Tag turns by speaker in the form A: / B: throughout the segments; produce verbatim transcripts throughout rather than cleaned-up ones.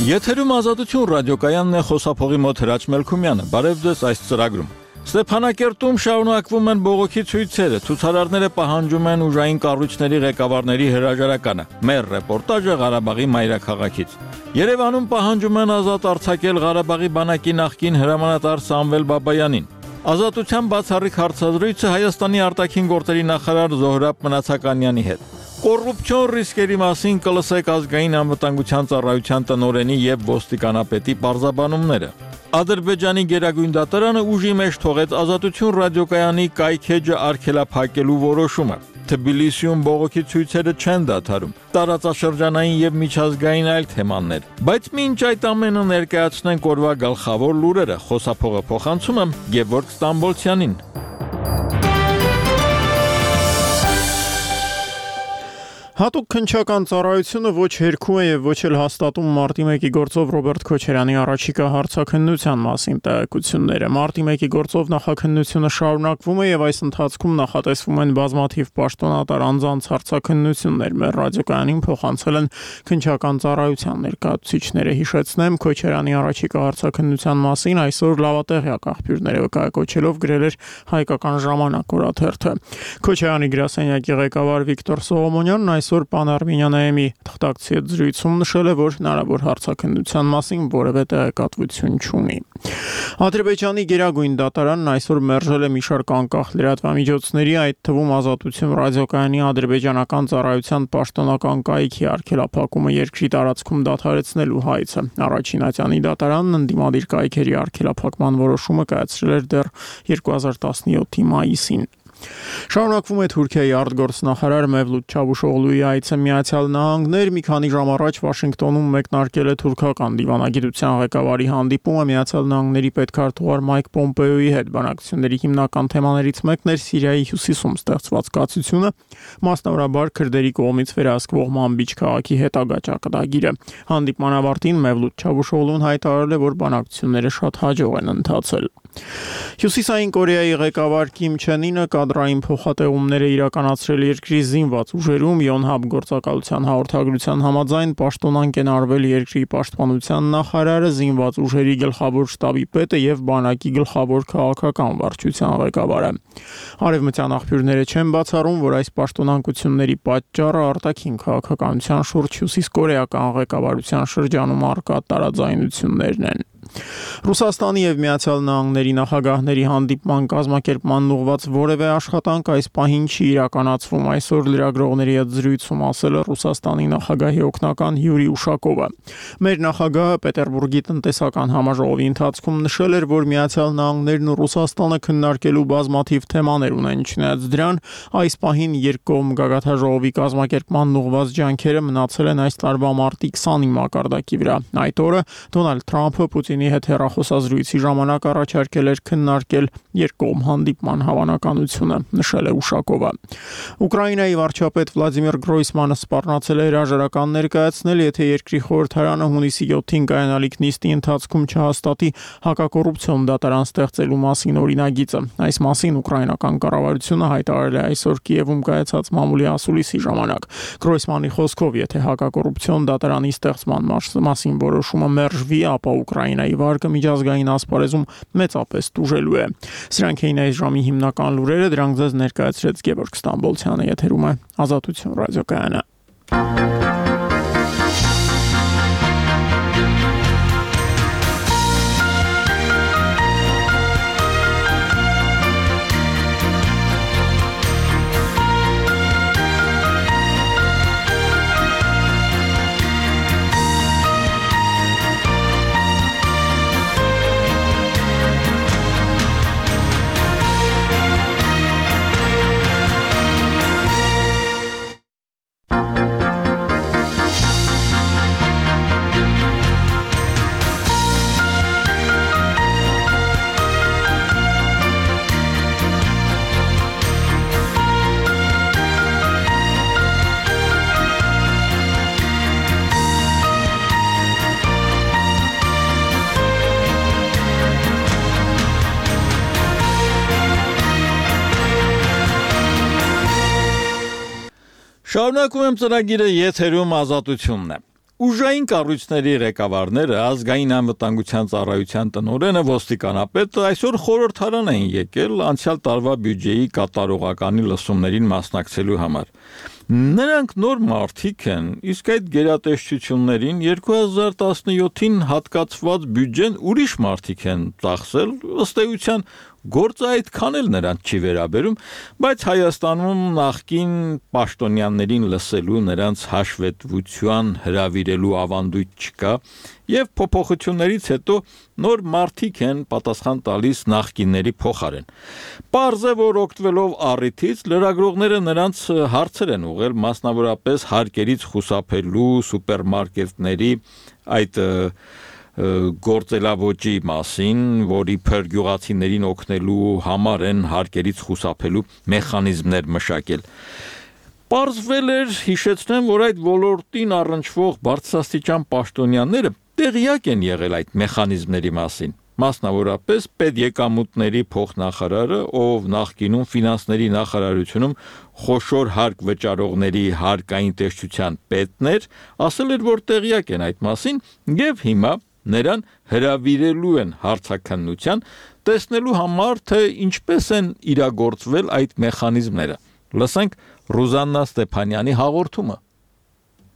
A: Եթերում Ազատություն ռադիոկայանն է, խոսափողի մոտ Հրաչ Մելքումյանը։ Բարև ձեզ այս ծրագրում։ Ստեփանակերտում շարունակվում են բողոքի ցույցերը, ցուցարարները պահանջում են ուժային կառույցների ղեկավարների հրաժարականը։ Մեր ռեպորտաժը Ղարաբաղի մայրաքաղաքից։ Երևանում պահանջում են ազատ արձակել Ղարաբաղի բանակի նախկին հրամանատար Սամվել Բաբայանին։ Ազատության բացառիկ հարցազրույցը Հայաստանի արտաքին գործերի նախարար Զոհրաբ Մնացականյանի հետ։ Կոռուպցիոն ռիսկերի մասին կլսեք ազգային անվտանգության ծառայության տնօրենի եւ ոստիկանապետի պարզաբանումները։ Ադրբեջանի գերագույն դատարանը ուժի մեջ թողեց Ազատություն ռադիոկայանի կայքեջը արգելափակելու որոշումը։ Թբիլիսիում բողոքի ցույցերը չեն դադարում։ Տարածաշրջանային եւ միջազգային այլ թեմաներ։ Բայց մինչ այդ ամենը ներկայացնենք օրվա գլխավոր լուրերը, խոսափողը փոխանցում եմ Գևորգ Ստամբոլցյանին։
B: Հատուկ քննչական ծառայությունը ոչ հերքում է եւ ոչ էլ հաստատում մարտի մեկի գործով Ռոբերտ Քոչարյանի առաջիկա հարցաքննության մասին տեղեկությունները։ Մարտի մեկի գործով նախաքննությունը շարունակվում է եւ այս ընթացքում նախատեսվում են բազմաթիվ պաշտոնատար անձանց հարցաքննություններ։ Մեր ռադիոկայանին փոխանցել են քննչական ծառայության ներկայացուցիչները։ Հիշեցնեմ, Քոչարյանի առաջիկա հարցաքննության մասին այսօր լավատեղյակ աղբյուրները վկայակոչելով գրել էր Հայկական ժամանակ օրաթերթը։ Քոչարյանի գրասենյակի ղեկավար Վիկտոր Սողոմոնյանն այս Այսօր Պանարմինյանի թղթակցի հետ զրույցում նշել է, որ հնարավոր հարցաքննության մասին որևէ տեղեկատվություն չունի։ Ադրբեջանի գերագույն դատարանն այսօր մերժել է մի շարք անկախ լրատվամիջոցների, այդ թվում Ազատություն ռադիոկայանի ադրբեջանական ծառայության պաշտոնական կայքի արգելափակումը երկրի տարածքում դադարեցնելու հայցը։ Առաջին ատյանի դատարանն ընդդիմադիր կայքերի արգելափակման որոշումը կայացրել էր դեռ երկու հազար տասնյոթի մայիսին։ Շարունակվում է Թուրքիայի արտգործնախարար Մևլութ Չավուշօղլուի այցը Միացյալ Նահանգներ։ Մի քանի ժամ առաջ Վաշինգտոնում մեկնարկել է թուրքական դիվանագիտության ղեկավարի հանդիպումը Միացյալ Նահանգների պետքարտուղար Մայք Պոմպեոյի հետ։ Բանակցությունների հիմնական թեմաներից մեկն էր Սիրիայի հյուսիսում ստեղծված կացությունը, մասնավորաբար քրդերի կողմից վերահսկվող Մանբիջ քաղաքի հետագա ճակատագիրը։ Հանդիպման ավարտին Մևլութ Չավուշօղլուն հայտարարել է, որ բանակցությունները շատ հաջող են ընթացել։ Հյուսիսային Կորեայի ղեկավար Կիմ Չեն Ինը կադրային փոխատեղումներ է իրականացրել երկրի զինված ուժերում։ Յոնհապ գործակալության հաղորդագրության համաձայն պաշտոնանկ են արվել երկրի պաշտպանության նախարարը, զինված ուժերի գլխավոր շտաբի պետը եւ բանակի գլխավոր քաղաքական վարչության ղեկավարը։ Արևմտյան աղբյուրները չեն բացառում, որ այս պաշտոնանկությունների պատճառը արտաքին քաղաքականության շուրջ հյուսիսկորեական ղեկավարության շրջանում առկա տարաձայնություններն են։ Ռուսաստանի եւ Միացյալ Նահանգների նախագահների հանդիպման կազմակերպման ուղղված որևէ աշխատանք այս պահին չի իրականացվում։ Այսօր լրագրողների հետ զրույցում ասել է Ռուսաստանի նախագահի օգնական Յուրի Ուշակովը։ Մեր նախագահը Պետերբուրգի տնտեսական համաժողովի ընթացքում նշել էր, որ Միացյալ Նահանգներն ու Ռուսաստանը քննարկելու բազմաթիվ թեմաներ ունեն, չնայած դրան այս պահին երկկողմ գագաթաժողովի կազմակերպման ուղղված ջանքերը մնացել են այս տարվա մարտի քսանի մակարդակի վրա։ Այդ օրը Դոնալդ Թրամփը Պուտինի հետ հեռախոսազրույցի ժամանակ առաջարկել էր քննարկել երկկողմ հանդիպման հավանականությունը, նշել է Ուշակովը։ Ուկրաինայի վարչապետ Վլադիմիր Գրոյսմանը սպառնացել է հրաժարական ներկայացնել, եթե երկրի խորհրդարանը հունիսի յոթին կայանալիք նիստի ընթացքում չհաստատի հակակոռուպցիոն դատարան ստեղծելու մասին օրինագիծը։ Այս մասին ուկրաինական կառավարությունը հայտարարել է այսօր Կիևում կայացած մամուլի ասուլիսի ժամանակ։ Գրոյսմանի խոսքով, եթե հակակոռուպցիոն դատարանի ստեղծման մասին որոշումը մերժվի, ապա Ուկրաինայի վարկը միջազգային ասպարեզում մեծապես տուժելու է։ Սրանք էին այս ժամի հիմնական լուրերը, դրանք ձեզ ներկայացրեց Գևորգ Ստամբոլցյանը, եթերում է Ազատություն ռադիոկայանը։
A: Շարունակում եմ ծրագիրը, եթերում Ազատությունն է։ Ուժային կառույցների ղեկավարները, ազգային անվտանգության ծառայության տնօրենը, ոստիկանապետը այսօր խորհրդարան են եկել անցյալ տարվա բյուջեի կատարողականի լսումներին մասնակցելու համար։ Նրանք նոր մարդիկ են, իսկ այդ գերատեսչություններին երկու հազար տասնյոթին հատկացված բյուջեն ուրիշ մարդիկ են ծախսել, ըստ էության գործը այդքան էլ նրանց չի վերաբերում, բայց Հայաստանում նախկին պաշտոնյաներին լսելու, նրանց հաշվետվության հրավիրելու ավանդույթ չկա, եւ փոփոխություններից հետո նոր մարդիկ են պատասխան տալիս նախկինների փոխարեն։ Պարզ է, որ օգտվելով առիթից լրագրողները նրանց հարցեր են ուղղել մասնավորապես հարկերից խուսափելու սուպերմարկետների այդ գործելավոճի մասին, որի փր գյուղացիներին օգնելու համար են հարկերից խուսափելու մեխանիզմներ մշակել։ Պարզվել էր, հիշեցնեմ, որ այդ ոլորտին առնչվող բարձրաստիճան պաշտոնյաները տեղյակ են եղել այդ մեխանիզմների մասին, մասնավորապես պետեկամուտների փոխնախարարը, ով նախկինում ֆինանսների նախարարությունում խոշոր հարկ վճարողների հարկային տեսչության պետն էր, ասել էր, որ տեղյակ են այդ մասին եւ հիմա նրան հրավիրելու են հարցաքննության, տեսնելու համար, թե ինչպես են իրագործվել այդ մեխանիզմները։ Լսենք Ռուզաննա Ստեփանյանի հաղորդումը։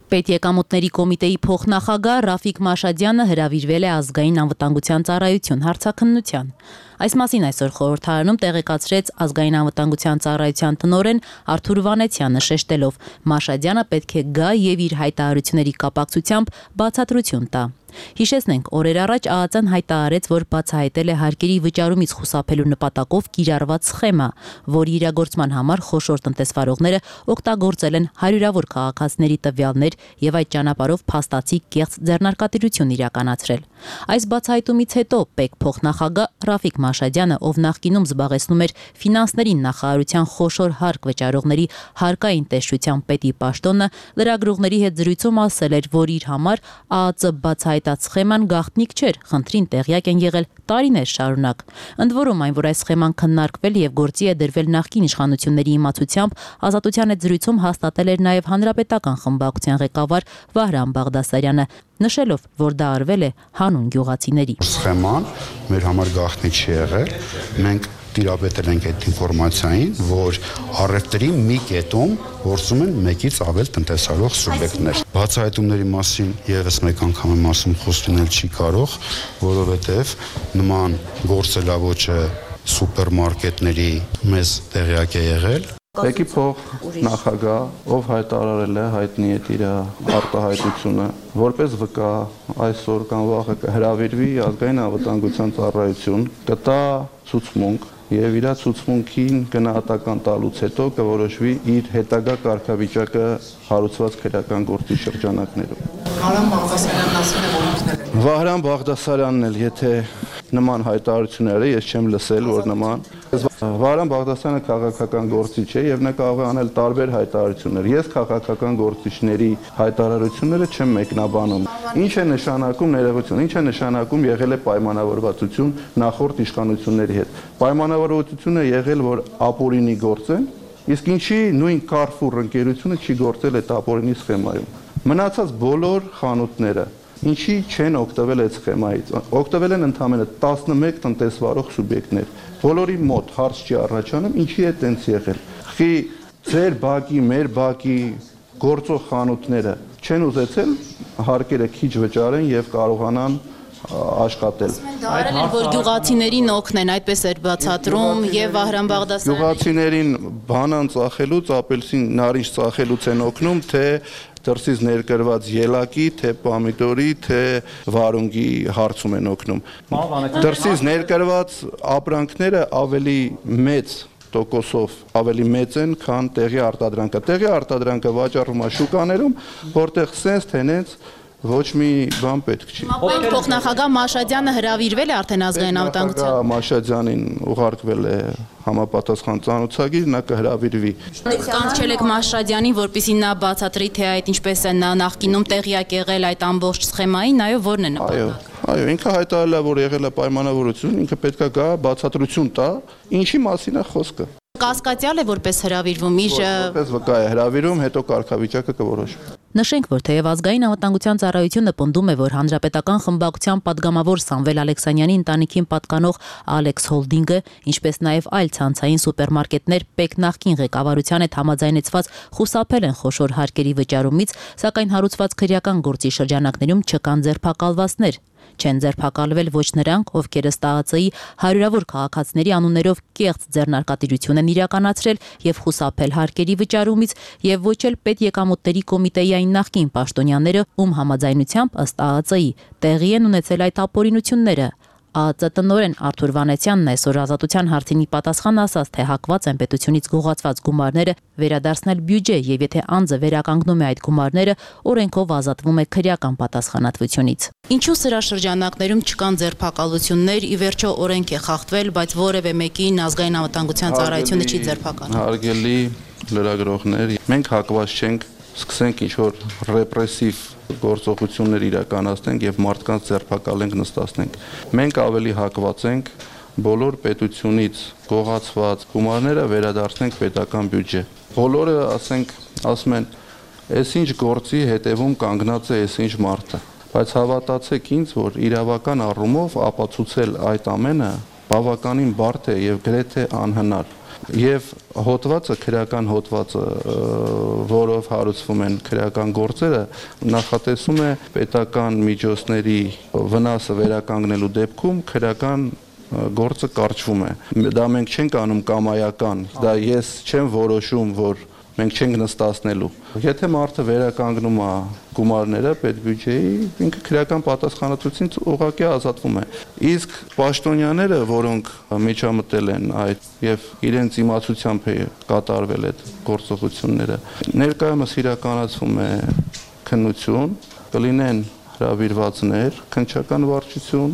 C: Պետեկամուտների կոմիտեի փոխնախագահ Ռաֆիկ Մաշադյանը հրավիրվել է ազգային անվտանգության ծառայություն հարցաքննության։ Այս մասին այսօր խորհրդարանում տեղեկացրեց ազգային անվտանգության ծառայության տնօրեն Արթուր Վանեցյանը, շեշտելով, Մաշադյանը պետք է գա եւ իր հայտարարությունների կապակցությամբ բացատրություն տա։ Հիշեցնենք, օրեր առաջ ԱԱԾ-ն հայտարարեց, որ բացահայտել է հարկերի վճարումից խուսափելու նպատակով կիրառված սխեմա, որի իրագործման համար խոշոր տնտեսվարողները օգտագործել են հարյուրավոր քաղաքացիների տվյալներ եւ այդ ճանապարհով փաստացի կեղծ ձեռնարկատիրություն իրականացրել։ Այս բացահայտումից հետո ՊԵԿ փոխնախագահ Ռաֆիկ Մաշադյանը, ով նախկինում զբաղեցնում էր ֆինանսների նախարարության խոշոր հարկ վճարողների հարկային տեսչության պետի պաշտոնը, լրագրողների հետ զրույցում ասել էր, որ իր համար ԱԱԾ բացահայտած սխեման գաղտնիք չէր, խնդրին տեղյակ են եղել տարիներ շարունակ։ Ընդ որում, այն, որ այս սխեման քննարկվել եւ գործի է դրվել նախկին իշխանությունների իմացությամբ, Ազատության հետ զրույցում հաստատել էր նաեւ հանրապետական խմբակցության ղեկավար Վահրամ Բաղդասարյանը, նշելով, որ դա արվել է հանուն գյուղացիների։
D: Սխեման մեր համար գաղտնիք չի եղել, մենք տիրապետել ենք այդ ինֆորմացիային, որ առևտրի մի կետում գործում են մեկից ավել տնտեսարող սուբյեկտներ։ Բացահայտումների մասին եւս մեկ անգամ եմ ասում, խոսք լինել չի կարող, որովհետեւ նման գործելավոճը սուպերմարկետների մեզ տեղյակ է եղել։
E: ՊԵԿ-ի փոխ նախագահ, ով հայտարարել է, հայտնի է իր արտահայտությունը, որպես վկա այսօր կամ վաղը կհրավիրվի ազգային անվտանգության ծառայություն, կտա ցուցմունք եւ իր ցուցմունքին գնահատական տալուց հետո կորոշվի իր հետագա կարգավիճակը հարուցված քրեական գործի շրջանակներում։
F: Վահրամ Բաղդասարյանն ասել է, որ ինքն է։
E: Վահրամ Բաղդասարյանն էլ, եթե նման հայտարարությունները ես չեմ լսել, որ նման Վահրամ Բաղդասարյանը քաղաքական գործիչ է եւ նա կարող է անել տարբեր հայտարարություններ։ Ես քաղաքական գործիչների հայտարարությունները չեմ մեկնաբանում։ Ինչ է նշանակում ներողություն, ինչ է նշանակում եղել է պայմանավորվածություն նախորդ իշխանությունների հետ։ Պայմանավորվածությունը եղել, որ ապօրինի գործեն, իսկ ինչի նույն Carrefour ընկերությունը չի գործել այդ ապօրինի սխեմայում։ Մնացած բոլոր խանութները ինչի չեն օգտվել այդ սխեմայից։ Օգտվել են ընդամենը տասնմեկ տնտեսվարող սուբյեկտներ։ Բոլորի մոտ հարց չի առաջանում, ինչի է տենց եղել։ Խի ձեր բակի, մեր բակի գործող խանութները չեն ուզեցել հարկերը քիչ վճարեն եւ կարողանան աշխատել։
C: Արել են, որ գյուղացիներին օգնեն, այդպես էր բացատրում եւ Վահրամ Բաղդասարյանը։
E: Գյուղացիներին բանան ծախելուց, ապելսին նարինջ ծախելուց են օգնում, թե դրսից ներկրված ելակի, թե պոմիդորի, թե վարունգի հարցում են օգնում։ Դրսից ներկրված ապրանքները ավելի մեծ տոկոսով ավելի մեծ են, քան տեղի արտադրանքը։ Տեղի արտադրանքը վաճառվում է շուկաներում, որտեղ սենց թենենց ոչ մի բան պետք չի։
C: ՊԵԿ փոխնախագահ Մաշադյանը հրավիրվել է արդեն ազգային անվտանգության։
E: Մաշադյանին ուղարկվել է համապատասխան ծանոթագիր, նա կհրավիրվի։
C: Կանչել եք Մաշադյանին, որպեսզի նա բացատրի, թե այդ ինչպես է նա նախկինում տեղյակ եղել այդ ամբողջ սխեմային, այո, որն է նպատակը։
E: Այո, այո, ինքը հայտարարել է, որ եղել է պայմանավորություն, ինքը պետք է գա բացատրություն տա, ինչի մասին է խոսքը։
C: Կասկածյալ է որպես հրավիրվում իր
E: որպես վկա է հրավիրում, հետո կարգավիճակը կորոշվի։
C: Նշենք, որ թեև ազգային անվտանգության ծառայությունը պնդում է, որ հանրապետական խմբակցության падգամավոր Սամվել Ալեքսանյանի ընտանիքին պատկանող Alex Holding-ը, ինչպես նաև այլ ցանցային սուպերմարկետներ ՊԵԿ նախկին ղեկավարության հետ համաձայնեցված խուսափել են խոշոր հարկերի վճարումից, սակայն հարուցված քրեական գործի շրջանակներում չկան ձերբակալվածներ։ Չեն ձերբակալվել ոչ նրանք, ովքեր ըստ ԱԱԾ-ի հարյուրավոր քաղաքացիների անուններով կեղծ ձեռնարկատիրություն են իրականացրել եւ խուսափել հարկերի վճարումից, եւ ոչ էլ պետեկամուտների կոմիտեի այն նախկին պաշտոնյաները, ում համաձայնությամբ ըստ ԱԱԾ-ի տեղի են ունեցել այդ ապօրինությունները։ ԱԱԾ տնօրեն Արթուր Վանեցյանն այսօր Ազատության հարցինի պատասխան ասաց, թե հակված են պետությունից գողացված գումարները վերադարձնել բյուջե եւ եթե անձը վերականգնում է այդ գումարները, օրենքով ազատվում է քրեական պատասխանատվությունից։ Ինչու սրա շրջանակներում չկան ձերբակալություններ, ի վերջո օրենք է խախտվել, բայց որևէ մեկին ազգային անվտանգության ծառայությունը չի ձերբակալում։
E: Հարգելի լրագրողներ, մենք հակված չենք սկսենք ինչ-որ ռեպրեսիվ գործողություններ իրականացնենք եւ մարդկանց ձերբակալենք, նստացնենք։ Մենք ավելի հակված ենք բոլոր պետությունից գողացված գումարները վերադարձնենք պետական բյուջե։ Բոլորը, ասենք, ասում են, «Էս ինչ գործի հետևում կանգնած է էս ինչ մարդը»։ Բայց հավատացեք ինձ, որ իրավական առումով ապացուցել այդ ամենը բավականին բարդ է եւ գրեթե անհնար։ Եվ հոդվածը, քրեական հոդվածը, որով հարուցվում են քրեական գործերը, նախատեսում է պետական միջոցների վնասը վերականգնելու դեպքում քրեական գործը կարճվում է։ Դա մենք չենք անում կամայական, դա ես չեմ որոշում, որ մենք չենք նստացնելու։ Եթե մարդը վերականգնում է գումարները պետբյուջեի, ինքը քրեական պատասխանատվությունից ուղղակի ազատվում է։ Իսկ պաշտոնյաները, որոնք միջամտել են այդ եւ իրենց իմացությամբ է կատարվել այդ գործողությունները, ներկայումս իրականացվում է քննություն, կլինեն հրավիրվածներ, քննչական վարչություն,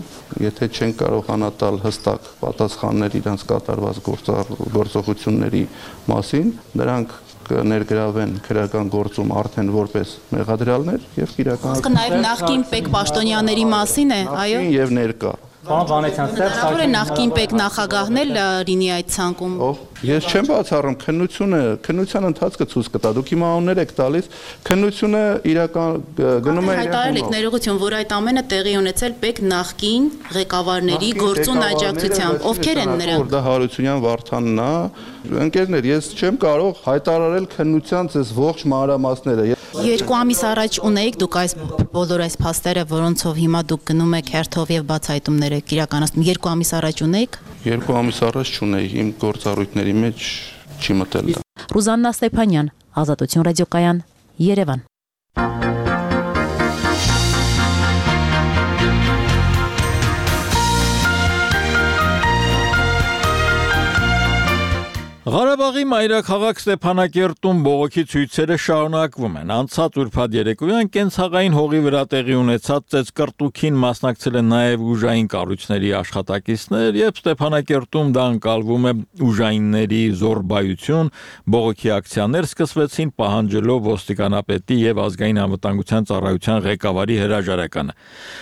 E: եթե չեն կարողանա տալ հստակ պատասխաններ իրենց կատարված գործողությունների մասին, նրանք կներգրավեն քրեական գործում արդեն որպես մեղադրյալներ եւ իրականացնեն։
C: Իսկ նաեւ նախկին ՊԵԿ պաշտոնյաների մասին է, այո։
E: Եւ ներկա։
G: Պարոն Վանեցյան,
C: Հնարավոր է նախկին ՊԵԿ նախագահն էլ լինի այդ ցանկում։
E: Ես չեմ բացառում, քննությունը, քննության ընթացքը ցույց կտա։ Դուք իմ անուններ եք տալիս, քննությունը իրական գնում է իրական։
C: Հայտարարել եք ներողություն, որ այդ ամենը տեղի ունեցել ՊԵԿ նախկին ղեկավարների գործուն աջակցությամբ։ Ովքեր են նրանք։
E: Դա Հարությունյան Վարդանն է։ Ընկերներ, ես չեմ կարող հայտարարել քննության այս ողջ մանրամասները։
C: Երկու ամիս առաջ ունեիք դուք այս բոլոր այս փաստերը, որոնցով հիմա դուք գնում եք հերթով եւ բացահայտումներ եք իրականացնում։ Երկու ամիս առաջ ունեիք։
E: Երկու ամիս առաջ չունեի, իմ գործառույթների մեջ չի մտել։
C: Ռուզաննա Ստեփանյան, Ազատություն ռադիոկայան, Երևան։
A: Ղարաբաղի մայրաքաղաք Ստեփանակերտում բողոքի ցույցերը շարունակվում են։ Անցած ուրբաթ երեկոյան կենցաղային հողի վրա տեղի ունեցած ծեծկռտուքին մասնակցել են նաև ուժային կառույցների աշխատակիցներ, եւ Ստեփանակերտում դա ընկալվում է ուժայինների զորբայություն, բողոքի ակցիաներ սկսվեցին պահանջելով ոստիկանապետի եւ ազգային անվտանգության ծառայության ղեկավարի հրաժարականը։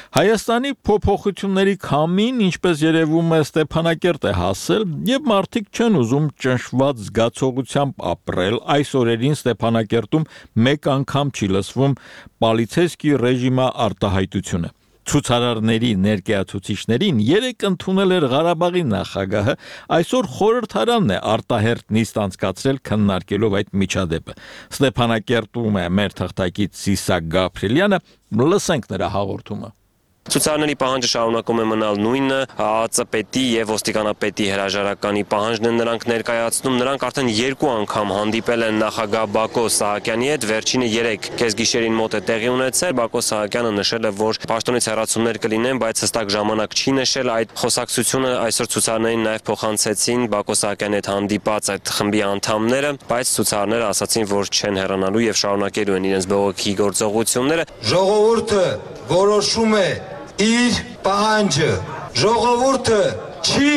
A: Հայաստանի փոփոխությունների քամին, ինչպես երևում է, Ստեփանակերտ է հասել եւ մարդիկ չեն ուզում ճնշված զգացողությամբ ապրել։ Այս օրերին Ստեփանակերտում մեկ անգամ չի լսվում պոլիցեյսկի ռեժիմի արտահայտությունը։ Ցուցարարների ներկայացուցիչներին երեք ընդունել էր Ղարաբաղի նախագահը, այսօր խորհրդարանն է արտահերթ նիստ անցկացրել քննարկելով այդ միջադեպը։ Ստեփանակերտում է մեր թղթակից Սիսակ Գաբրիելյանը, լսենք նրա հաղորդումը։
H: Ցուցարարների պահանջը շարունակում է մնալ նույնը, ԱԱԾ պետի եւ ոստիկանապետի հրաժարականի պահանջն են նրանք ներկայացնում, նրանք արդեն երկու անգամ հանդիպել են նախագահ Բակո Սահակյանի հետ, վերջինը երեք կեսգիշերին մոտ է տեղի ունեցել, Բակո Սահակյանը նշել է, որ պաշտոնից հեռացումներ կլինեն, բայց հստակ ժամանակ չի նշել, այդ խոսակցությունը այսօր ցուցարարներին նաեւ փոխանցեցին Բակո Սահակյանի հետ հանդիպած այդ խմբի անդամները, բայց ցուցարարները ասացին, որ չեն հեռանալու եւ շարունակելու են իրենց բողոքի գործողությունները։
I: Ժողովուրդը որոշում է իր պահանջը, ժողովուրդը չի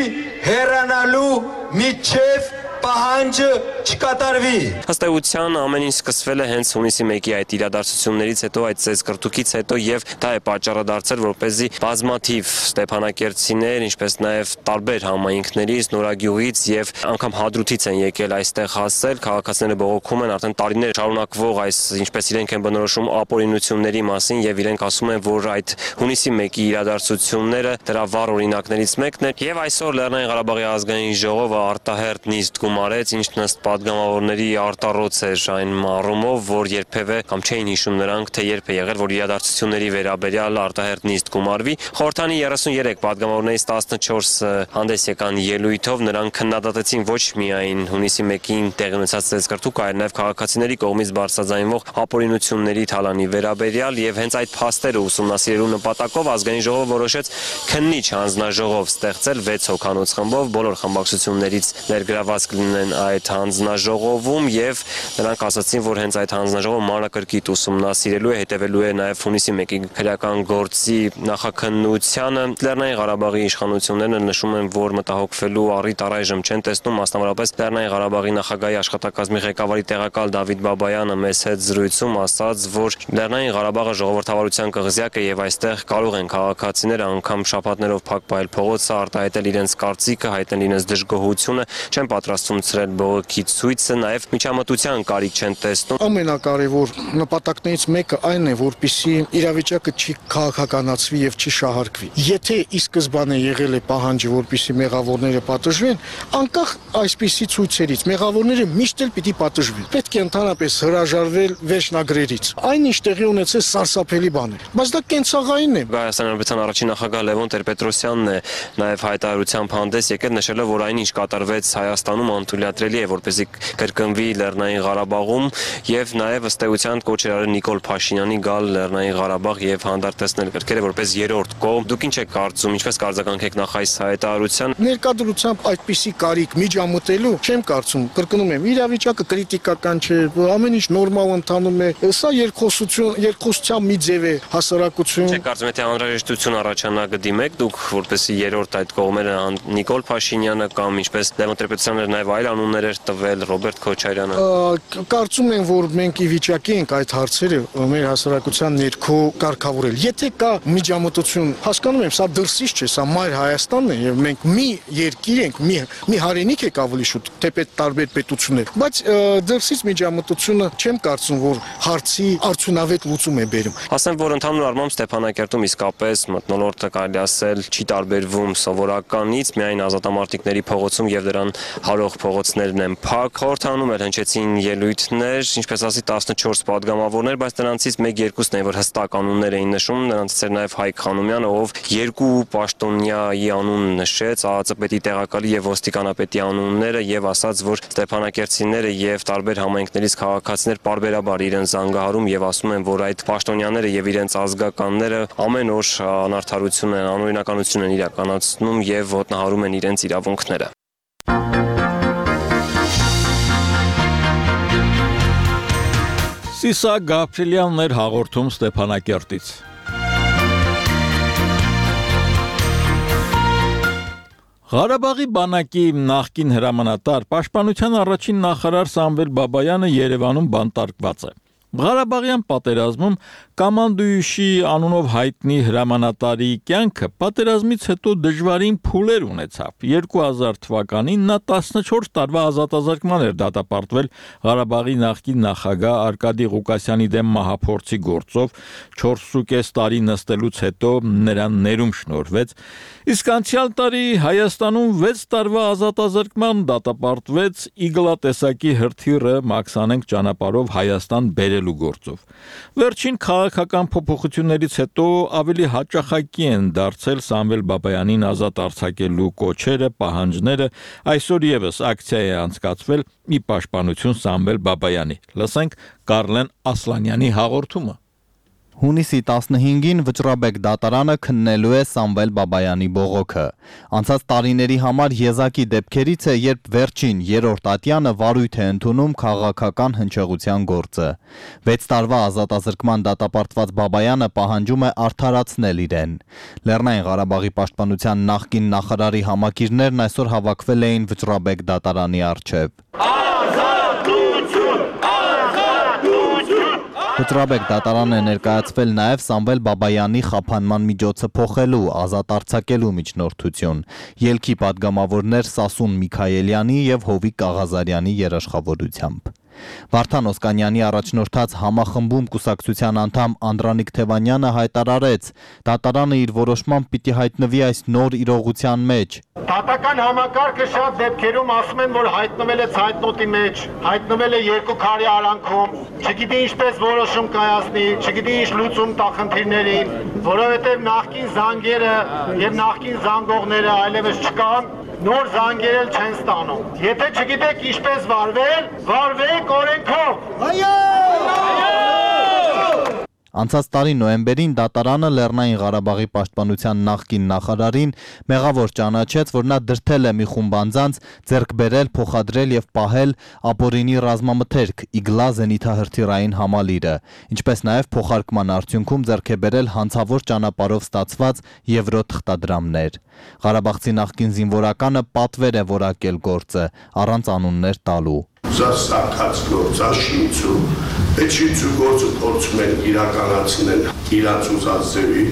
I: հեռանալու միջև պահանջը չկատարվի։
H: Ըստ էության ամեն ինչ սկսվել է հենց հունիսի մեկի այդ իրադարձություններից հետո, այդ ծեզկրտուքից հետո եւ դա է պատճառը դարձել, որպեսզի բազմաթիվ ստեփանակերտցիներ, ինչպես նաեւ տարբեր համայնքներից, Նորագյուղից եւ անգամ Հադրութից են եկել այստեղ հասել, քաղաքացիները բողոքում են արդեն տարիներ շարունակվող այս ինչպես իրենք են բնորոշում ապօրինությունների մասին եւ իրենք ասում են, որ այդ հունիսի մեկի իրադարձությունները դրա վառ օրինակներից մեկն է եւ այսօր Լեռնային Ղարաբաղի ազգային ժողովը արտահերտ նիստ գումարեց, ինչն ըստ պատգամավորների արտառոց էր այն առումով, որ երբևէ կամ չէին հիշում նրանք, թե երբ է եղել, որ իրադարձությունների վերաբերյալ արտահերտ նիստ գումարվի։ Խորհրդանի երեսուներեք պատգամավորներից տասնչորսը հանդես եկան ելույթով, նրանք քննադատեցին ոչ միայն հունիսի մեկին տեղի ունեցած ծեզկրտուկը, այլ նաեւ քաղաքացիների կողմից բարձրաձայնվող ապօրինությունների թալանի վերաբերյալ եւ հենց այդ փաստերը ուսումնասիրելու նպատակով ազգային ժողովը որոշեց քննիչ հանձնաժողով ստեղծել վեց հոգանոց խմբով, բոլոր խմբակցություններից ներգրաված կլինեն այդ հանձնաժողովում եւ նրանք ասացին, որ հենց այդ հանձնաժողովը մանրակրկիտ ուսումնասիրելու է, հետևելու է նաեւ հունիսի մեկի քրեական գործի նախաքննությանը։ Լեռնային Ղարաբաղի իշխանությունները նշում են, որ մտահոգվելու առիթ առայժմ չեն տեսնում, մասնավորապես Լեռնային Ղարաբաղի նախագահի աշխատակազմի ղեկավարի տեղակալ Դավիթ Բաբայանը մեզ հետ զրույցում ասաց, որ Լեռնային Ղարաբաղը ժողովրդավարության կղզյակ է եւ այստեղ կարող են քաղաքացիները անգամ շաբաթներով փակ պահել փողոցը, արտահայտել իրենց կարծիքը, հայտնել իրենց դժգոհությունը, չեն պատրաստվում ցրել բողոքի ցույցը, նաեւ միջամտության կարիք չեն տեսնում։
G: Ամենակարևոր նպատակներից մեկը այն է, որպեսզի իրավիճակը չի քաղաքականացվի եւ չի շահարկվի։ Եթե ի սկզբանե եղել է պահանջը, որպեսզի մեղավորները պատժվեն, անկախ այսպիսի ցույցերից մեղավորները միշտ էլ պիտի պատժվեն։ Պետք է ընդհանրապես հրաժարվել վերջնագրերից։ Այնինչ տեղի ունեցել սարսափելի բաներ, բայց դա կենցաղային է։
H: Հայաստանի Հանրապետության առաջին նախագահ Լևոն Տեր-Պետրոսյանն է նաեւ հայտարարությամբ հանդես եկել, նշելով, որ այնինչ կատարվեց Հայաստանում անթույլատրելի է, որպեսզի կրկնվի Լեռնային Ղարաբաղում եւ նաեւ ըստ էության կոչ էր արել Նիկոլ Փաշինյանի գալ Լեռնային Ղարաբաղ եւ հանդարտեցնել կրկերը որպես երրորդ կողմ։ Դուք ինչ եք կարծում, ինչպես կարձագանքեք նախ այս հայտարարության։
G: Ներկայությամբ այդպիսի կարիք միջամտելու չեմ կարծում, կրկնում եմ, իրավիճակը կրիտիկական չէ, ամեն ինչ նորմալ ընթանում է։ Սա երկխոսություն, երկխոսության մի ձև է, հասարակություն։
H: Չեք կարծում, եթե անհրաժեշտություն առաջանա կդիմեք դուք որպեսզի երրորդ այդ կողմերը Նիկոլ Փաշինյանը կամ ինչպես Լևոն Տեր-Պետրոսյանը նաեւ այլ անուններ էր տվել Ռոբերտ Քոչարյանը։
G: Կարծում եմ, որ մենք ի վիճակի ենք այդ հարցերը մեր հասարակության ներքո կարգավորել։ Եթե կա միջամտություն, հասկանում եմ, սա դրսից չէ, սա մայր Հայաստանն է եւ մենք մի երկիր ենք, մի մի հայրենիք եք ավելի շուտ, թեպետ տարբեր պետություններ, բայց դրսից միջամտությունը չեմ կարծում, որ հարցի արդյունավետ լուծում է բերում։
H: Ասեմ, որ ընդհանուր առմամբ Ստեփանակերտում իսկապես մթնոլորտը կարելի ասել չի տարբերվում սովորականից, միայն ազատամարտիկների փողոցում եւ դրան հարող փողոցներն են փակ։ Խորհրդանում էլ հնչեցին ելույթներ, ինչպես ասի տասնչորս պատգամավորներ, բայց նրանցից մեկ-երկուսն էին, որ հստակ անուններ էին նշում, նրանցից էր նաեւ Հայկ Խանոմյանը, ով երկու պաշտոնյայի անուն նշեց, ԱԱԾ-պետի տեղակալի եւ ոստիկանապետի անունները եւ ասաց, որ ստեփանակերտցիները եւ տարբեր համայնքներից քաղաքացիներ պարբերաբար իրեն զանգահարում եւ ասում են, որ այդ պաշտոնյաները եւ իրենց ազգականները ամեն օր անարդարություն են, անօրինականություն են իրականացնում եւ ոտնահարում են իրենց իրավունքները։
A: Սիսա Գաբրիելյանն էր հաղորդում Ստեփանակերտից։ Ղարաբաղի բանակի նախկին հրամանատար, պաշտպանության առաջին նախարար Սամվել Բաբայանը Երևանում բանտարկված է։ Ղարաբաղյան պատերազմում կամանդույուշի անունով հայտնի հրամանատարի կյանքը պատերազմից հետո դժվարին փուլեր ունեցավ։ երկու հազար թվականին նա տասնչորս տարվա ազատազրկման էր դատապարտվել Ղարաբաղի նախկին նախագահ Արկադի Ղուկասյանի դեմ մահափորձի գործով, չորսուկես տարի նստելուց հետո նրան ներում շնորհվեց, իսկ անցյալ տարի Հայաստանում վեց տարվա ազատազրկման դատապարտվեց իգլատեսակի հրթիռը Մաքսանենկ ճանապարհով Հայաստան բերելու գործով։ Վերջին քաղաքական փոփոխություններից հետո ավելի հաճախակի են դարձել Սամվել Բաբայանին ազատ արձակելու կոչերը, պահանջները, այսօր եւս ակցիա է անցկացվել ի պաշտպանություն Սամվել Բաբայանի։ Լսենք Կարլեն Ասլանյանի հաղորդումը։
J: Հունիսի տասնհինգին Վճռաբեկ դատարանը քննելու է Սամվել Բաբայանի բողոքը։ Անցած տարիների համար եզակի դեպքերից է, երբ վերջին երրորդ ատյանը վարույթ է ընդունում քաղաքական հնչեղության գործը։ վեց տարվա ազատազրկման դատապարտված Բաբայանը պահանջում է արդարացնել իրեն։ Լեռնային Ղարաբաղի պաշտպանության նախկին նախարարի համակիրներն այսօր հավաքվել էին Վճռաբեկ դատարանի առջև։ Վճռաբեկ դատարան է ներկայացվել նաև Սամվել Բաբայանի խափանման միջոցը փոխելու, ազատ արձակելու միջնորդություն։ Ելքի падգամավորներ Սասուն Միքայելյանի եւ Հովիկ Կաղազարյանի երաշխավորությամբ։ Վարդան Օսկանյանի առաջնորդած համախմբում կուսակցության անդամ Անդրանիկ Թևանյանը հայտարարեց. դատարանը իր որոշմամբ պիտի հայտնվի այս նոր իրողության մեջ։
K: Դատական համակարգը շատ դեպքերում ասում են, որ հայտնվել է ցայտնոտի մեջ, հայտնվել է երկու քարի արանքում, չգիտի ինչպես որոշում կայացնի, չգիտի ինչ լուծում տա խնդիրներին, որովհետև նախկին զանգերը եւ նախկին զանգողները այլևս չկան, նոր զանգեր էլ չեն ստանում։ Եթե չգիտեք ինչպես վարվել, վարվեք օրենքով։ Այո!
J: Անցած տարի նոյեմբերին դատարանը Լեռնային Ղարաբաղի պաշտպանության նախկին նախարարին մեղավոր ճանաչեց, որ նա դրդել է մի խումբ անձանց ձեռք բերել, փոխադրել եւ պահել ապօրինի ռազմամթերք Իգլա զենիթահրթիռային համալիրը, ինչպես նաեւ փոխարկման արդյունքում ձեռք է բերել հանցավոր ճանապարհով ստացված եվրո թղթադրամներ։ Ղարաբաղցի նախկին զինվորականը պատվեր է որակել գործը առանց անուններ տալու։
L: Սարքած գործա շինցու, այդ շինցու գործը փորձում են իրականացնել իրաց ուզած ձևի,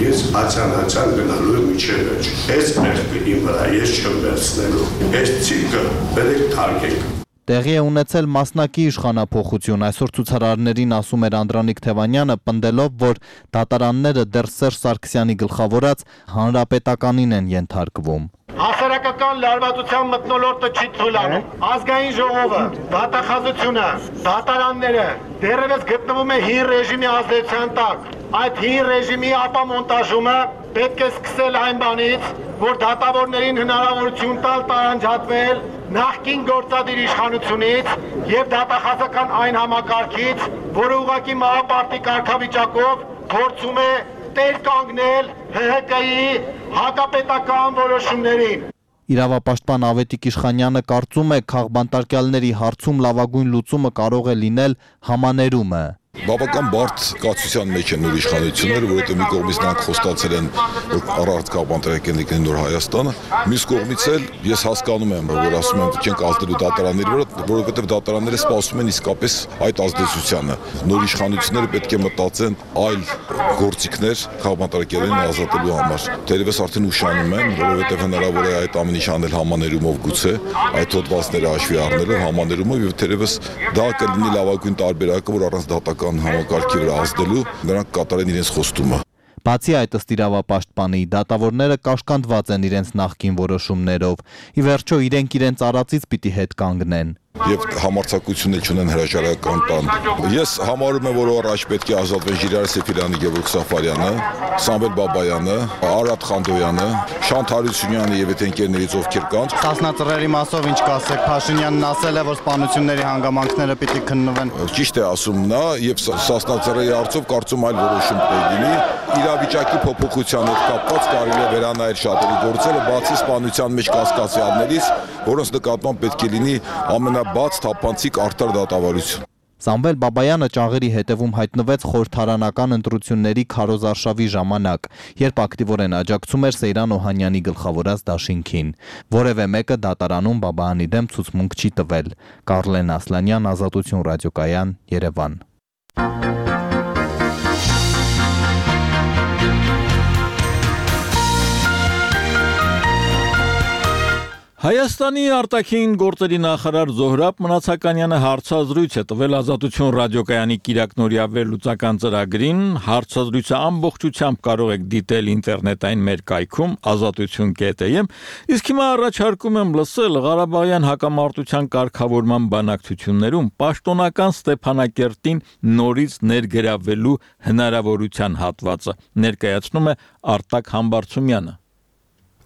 L: ես ացան-ացան գնալու եմ միջև վերջ, ես մեղքը իմ վրա, ես չեմ վերցնելու, ես ցիկը բերեք թարգեք։
J: Տեղի է ունեցել մասնակի իշխանափոխություն, այսօր ցուցարարներին ասում էր Անդրանիկ Թևանյանը, պնդելով, որ դատարանները դեռ Սերժ Սարգսյանի գլխավորած հանրապետականին են ենթարկվում։
K: Հասարակական լարվածության մթնոլորտը չի թույլ անում։ Ազգային ժողովը, դատախազությունը, դատարանները դեռևս գտնվում է հին ռեժիմի ազդեցության տակ։ Այդ հին ռեժիմի ապամոնտաժումը պետք է սկսել այն բանից, որ դատավորներին հնարավորություն տալ տարանջատվել նախկին գործադիր իշխանությունից եւ դատախազական այն համակարգից, որը ուղղակի մահապարտի կարգավիճակով փորձում է տեր կանգնել Հ Հ Կ-ի հակապետական որոշումներին։
J: Իրավապաշտպան Ավետիք Իշխանյանը կարծում է, քաղբանտարկյալների հարցում լավագույն լուծումը կարող է լինել համաներումը։
M: Բավական բարդ կացության մեջ են նոր իշխանությունները, որովհետև մի կողմից նրանք խոստացել են, որ առանց քաղբանտարկյալների կլինի նոր Հայաստանը, մյուս կողմից էլ ես հասկանում եմ, որ ասում են չենք ազդելու դատարանների վրա, որովհետև դատարանները սպասում են իսկապես այդ ազդեցությանը։ Նոր իշխանությունները պետք է մտածեն այլ գործիքներ քաղբանտարկյալներին ազատելու համար։ Թերևս արդեն ուշանում են, որովհետև հնարավոր է այդ ամեն ինչ անել համաներումով գուցե, այդ հոդվածները հաշվի առնելով համաներումով եւ թերևս դա կլինի լավագույն տարբերակը, որ առանց դատական համակարգի վրա ազդելու նրանք կատարեն իրենց խոստումը։
J: Բացի այդ, ըստ իրավապաշտպանի, դատավորները կաշկանդված են իրենց նախկին որոշումներով։ Ի վերջո իրենք իրենց արածից պիտի հետ կանգնեն։
M: Եվ համարձակություններ չունեն հրաժարական տան։ Ես համարում եմ, որ առաջ պետք է ազատվեն Ժիրայր Սեֆիրյանը, Գևորգ Սաֆարյանը, Սամվել Բաբայանը, Արադ Խանդոյանը, Շանթ Հարությունյանը եւ այդ ընկերներից ովքեր կան։
J: Սասնածռերի մասով ինչ կասեք, Փաշինյանն ասել է, որ սպանությունների հանգամանքները պիտի քննվեն։
M: Ճիշտ է ասում նա, եւ Սասնածռերի հարցով կարծում այլ որոշում պետք լինի։ Իրավիճակի փոփոխության հետ կապված կարելի է վերանայել շատերի գործերը, բացի սպանության մեջ կասկածյալներից, որոնց նկատմամբ պետք է լինի ամենաբաց թափանցիկ արդար դատավարություն։
J: Սամվել Բաբայանը ճաղերի հետևում հայտնվեց խորհրդարանական ընտրությունների քարոզարշավի ժամանակ, երբ ակտիվորեն աջակցում էր Սեյրան Օհանյանի գլխավորած դաշինքին։ Որևէ մեկը դատարանում Բաբայանի դեմ ցուցմունք չի տվել։ Կարլեն Ասլանյան, Ազատություն ռադիոկայան, Երևան։
A: Հայաստանի արտաքին գործերի նախարար Զոհրաբ Մնացականյանը հարցազրույց է տվել Ազատություն ռադիոկայանի կիրակնօրյա վերլուծական ծրագրին, հարցազրույցը ամբողջությամբ կարող եք դիտել ինտերնետային մեր կայքում ազատություն կետ է, իսկ հիմա առաջարկում եմ լսել Ղարաբաղյան հակամարտության կարգավորման բանակցություններում պաշտոնական Ստեփանակերտին նորից ներգրավելու հնարավորության հատվածը, ներկայացնում է Արտակ Համբարձումյանը։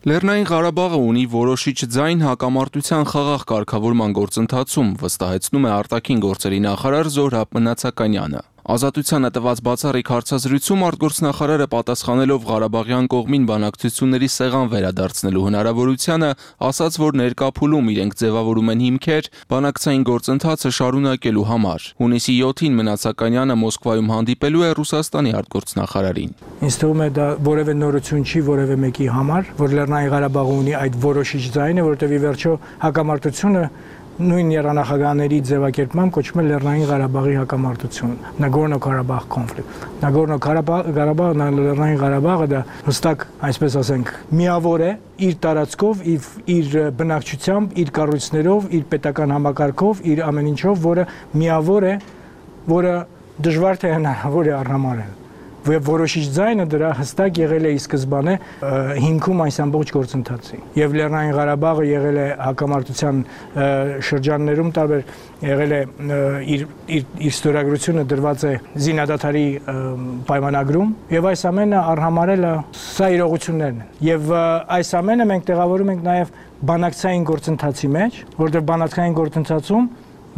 N: Լեռնային Ղարաբաղը ունի որոշիչ ձայն հակամարտության խաղաղ կարգավորման գործընթացում, վստահեցնում է արտաքին գործերի նախարար Զոհրաբ Մնացականյանը։ Ազատությանը տված բացառիկ հարցազրույցում արտգործնախարարը պատասխանելով Ղարաբաղյան կողմին բանակցությունների սեղան վերադարձնելու հնարավորությանը, ասաց, որ ներկա փուլում իրենք ձևավորում են հիմքեր բանակցային գործընթացը շարունակելու համար։ Հունիսի յոթին Մնացականյանը Մոսկվայում հանդիպելու է Ռուսաստանի արտգործնախարարին։
O: Ինձ թվում է դա որևէ նորություն չի որևէ մեկի համար, որ Լեռնային Ղարաբաղը ունի այդ որոշիչ ձայնը, որովհետև ի վերջո հակամարտությունը նույն երանախագահների ձևակերպմամբ կոչվում է Լեռնային Ղարաբաղի հակամարտություն, Նագորնո-Ղարաբաղ conflict։ Նագորնո-Ղարաբաղը, Լեռնային Ղարաբաղը դա հստակ, այսպես ասենք, միավոր է իր տարածքով, իր բնակչությամբ, իր կառույցներով, իր պետական համակարգով, իր ամեն ինչով, որը միավոր է, որը դժվար թե հնարավոր է առնամարել։ Որոշիչ ձայնը դրա հստակ եղել է ի սկզբանե հիմքում այս ամբողջ գործընթացի։ Եվ Լեռնային Ղարաբաղը եղել է հակամարտության շրջաններում տարբեր եղել է իր իր ստորագրությունը դրված է զինադադարի պայմանագրում եւ այս ամենը առհամարել է սա իրողություններն են։ Եվ այս ամենը մենք տեղավորում ենք նաեւ բանակցային գործընթացի մեջ, որտեղ բանակցային գործընթացում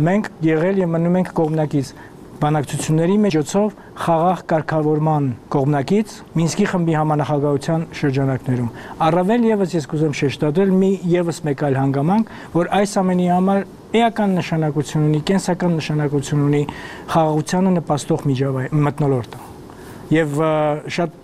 O: մենք եղել եւ մնում ենք կողմնակից բանակցությունների միջոցով խաղաղ կարգավորման կողմնակից Մինսկի խմբի համանախագահության շրջանակներում։ Առավել եւս ես կուզեմ շեշտադրել մի եւս մեկ այլ հանգամանք, որ այս ամենի համար էական նշանակություն ունի, կենսական նշանակություն ունի խաղաղությանը նպաստող միջավայր մթնոլորտը։ Եվ շատ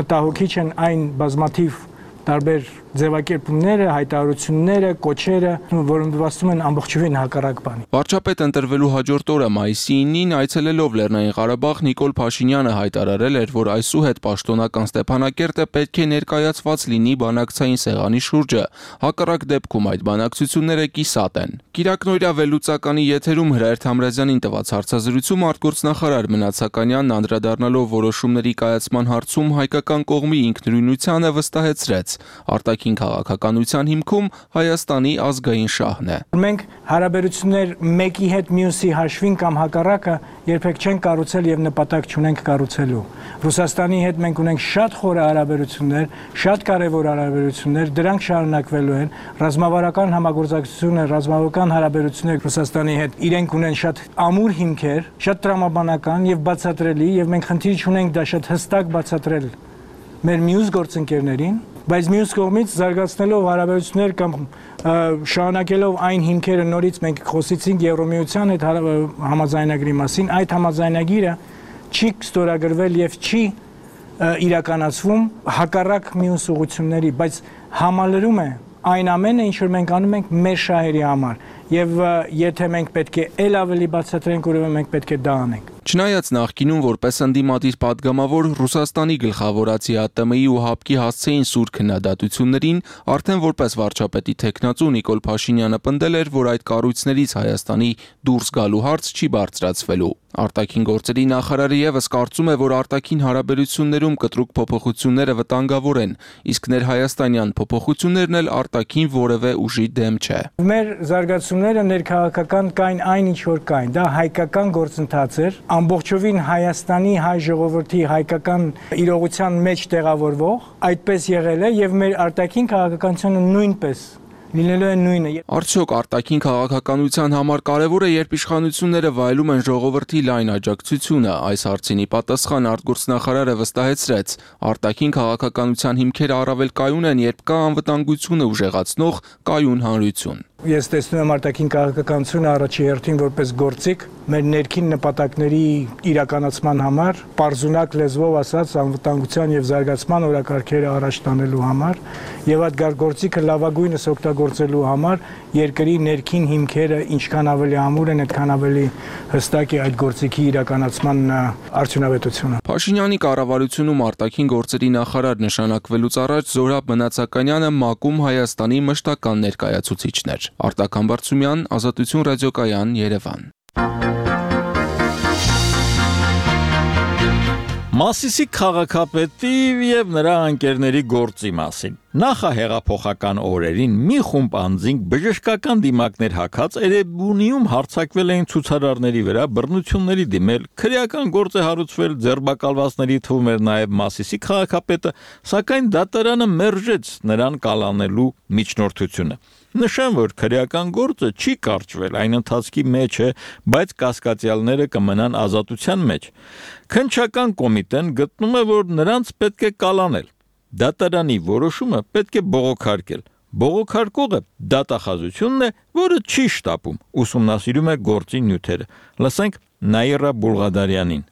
O: մտահոգիչ են այն բազմաթիվ տարբեր ձևակերպումները, հայտարարությունները, կոչերը, որոնք նվաստում են ամբողջովին հակառակ բանի։
N: Վարչապետ ընտրվելու հաջորդ օրը մայիսի ինին այցելելով Լեռնային Ղարաբաղ Նիկոլ Փաշինյանը հայտարարել էր, որ այսուհետ պաշտոնական Ստեփանակերտը պետք է ներկայացված լինի բանակցային սեղանի շուրջը, հակառակ դեպքում այդ բանակցությունները կիսատ են։ Կիրակնօրյա վերլուծականի եթերում Հրայր Թամրազյանին տված հարցազրույցում արտգործնախարար Մնաց Սաքանյանն անդրադառնալով որոշումների կայացման հարցում հայկական կողմի ինքնուրույնությանը վստահեցրեց, արտաքին քաղաքականության հիմքում Հայաստանի ազգային շահն է։
O: Մենք հարաբերություններ մեկի հետ մյուսի հաշվին կամ հակառակը երբեք չենք կառուցել եւ նպատակ չունենք կառուցելու։ Ռուսաստանի հետ մենք ունենք շատ խորը հարաբերություններ, շատ կարեւոր հարաբերություններ, դրանք շարունակվելու են։ Ռազմավարական համագործակցությունը, ռազմավարական հարաբերությունները Ռուսաստանի հետ իրենք ունեն շատ ամուր հիմքեր, շատ տրամաբանական եւ բացատրելի եւ մենք խնդիր չունենք դա շատ հստակ բացատրել մեր մյուս գործընկերներին, բայց մյուս կողմից զարգացնելով հարաբերություններ կամ շարունակելով այն հիմքերը նորից մենք խոսեցինք Եվրոմիության հետ համաձայնագրի մասին, այդ համաձայնագիրը չի ստորագրվել եւ չի իրականացվում հակառակ մյուս ուղղությունների, բայց համալրում է այն ամենը, ինչ որ մենք անում ենք մեր շահերի համար եւ եթե մենք պետք է ել ավելի բացատրենք, ուրեմն մենք պետք է դա անենք։
N: Չնայած նախկինում որպես ընդդիմադիր падգամավոր Ռուսաստանի գլխավորացի ԱՏՄ-ի ու ՀԱՊԿ-ի հասցեին սուր քննադատություններին, արդեն որպես վարչապետի թեկնածու Նիկոլ Փաշինյանը պնդել էր, որ այդ կառույցներից Հայաստանի դուրս գալու հարց չի բարձրացվելու։ Արտաքին գործերի նախարարը եւս կարծում է, որ արտաքին հարաբերություններում կտրուկ փոփոխությունները վտանգավոր են, իսկ ներհայաստանյան փոփոխություններն էլ արտաքին որևէ ուժի դեմ չէ։
O: Մեր զարգացումները ներքաղաքական կային այն ինչ որ կային, դա հայկական գործընթաց էր, ամբողջովին Հայաստանի հայ ժողովրդի հայկական իրողության մեջ տեղավորվող, այդպես եղել է եւ մեր արտաքին քաղաքականությունը նույնպես լինելու է նույնը։
N: Արդյոք արտաքին քաղաքականության համար կարևոր է, երբ իշխանությունները վայելում են ժողովրդի լայն աջակցությունը, այս հարցին ի պատասխան արտգործնախարարը վստահեցրեց, արտաքին քաղաքականության հիմքերը առավել կայուն են, երբ կա անվտանգությունը ուժեղացնող կայուն հանրություն։
O: Ես տեսնում եմ արտաքին քաղաքականությունը առաջի հերթին որպես գործիք մեր ներքին նպատակների իրականացման համար, պարզունակ լեզվով ասած անվտանգության եւ զարգացման օրակարգերը առաջ տանելու համար եւ այդ գործիքը լավագույնս օգտագործելու համար երկրի ներքին հիմքերը ինչքան ավելի ամուր են, այդքան ավելի հստակ է այդ գործիքի իրականացման արդյունավետությունը։
N: Փաշինյանի կառավարությունում արտաքին գործերի նախարար նշանակվելուց առաջ Զորաբ Մնացականյանը ՄԱԿ-ում Հայաստանի մշտական ներկայացուցիչն էր։ Արտակ Համբարձումյան, Ազատություն ռադիոկայան, Երևան։
A: Մասիսի քաղաքապետի եւ նրա ընկերների գործի մասին։ Նախահեղափոխական օրերին մի խումբ անձինք բժշկական դիմակներ հագած Էրեբունիում հարձակվել էին ցուցարարների վրա, բռնությունների դիմել, քրեական գործ է հարուցվել, ձերբակալվածների թվում էր նաեւ Մասիսի քաղաքապետը, սակայն դատարանը մերժեց նրան կալանելու միջնորդությունը։ Նշեմ, որ քրեական գործը չի կարճվել, այն ընթացքի մեջ է, բայց կասկածյալները կմնան ազատության մեջ։ Քննչական կոմիտեն գտնում է, որ նրանց պետք է կալանել։ Դատարանի որոշումը պետք է բողոքարկել։ Բողոքարկողը դատախազությունն է, որը չի շտապում, ուսումնասիրում է գործի նյութերը։ Լսենք Նաիրա Բուլղադարյանին։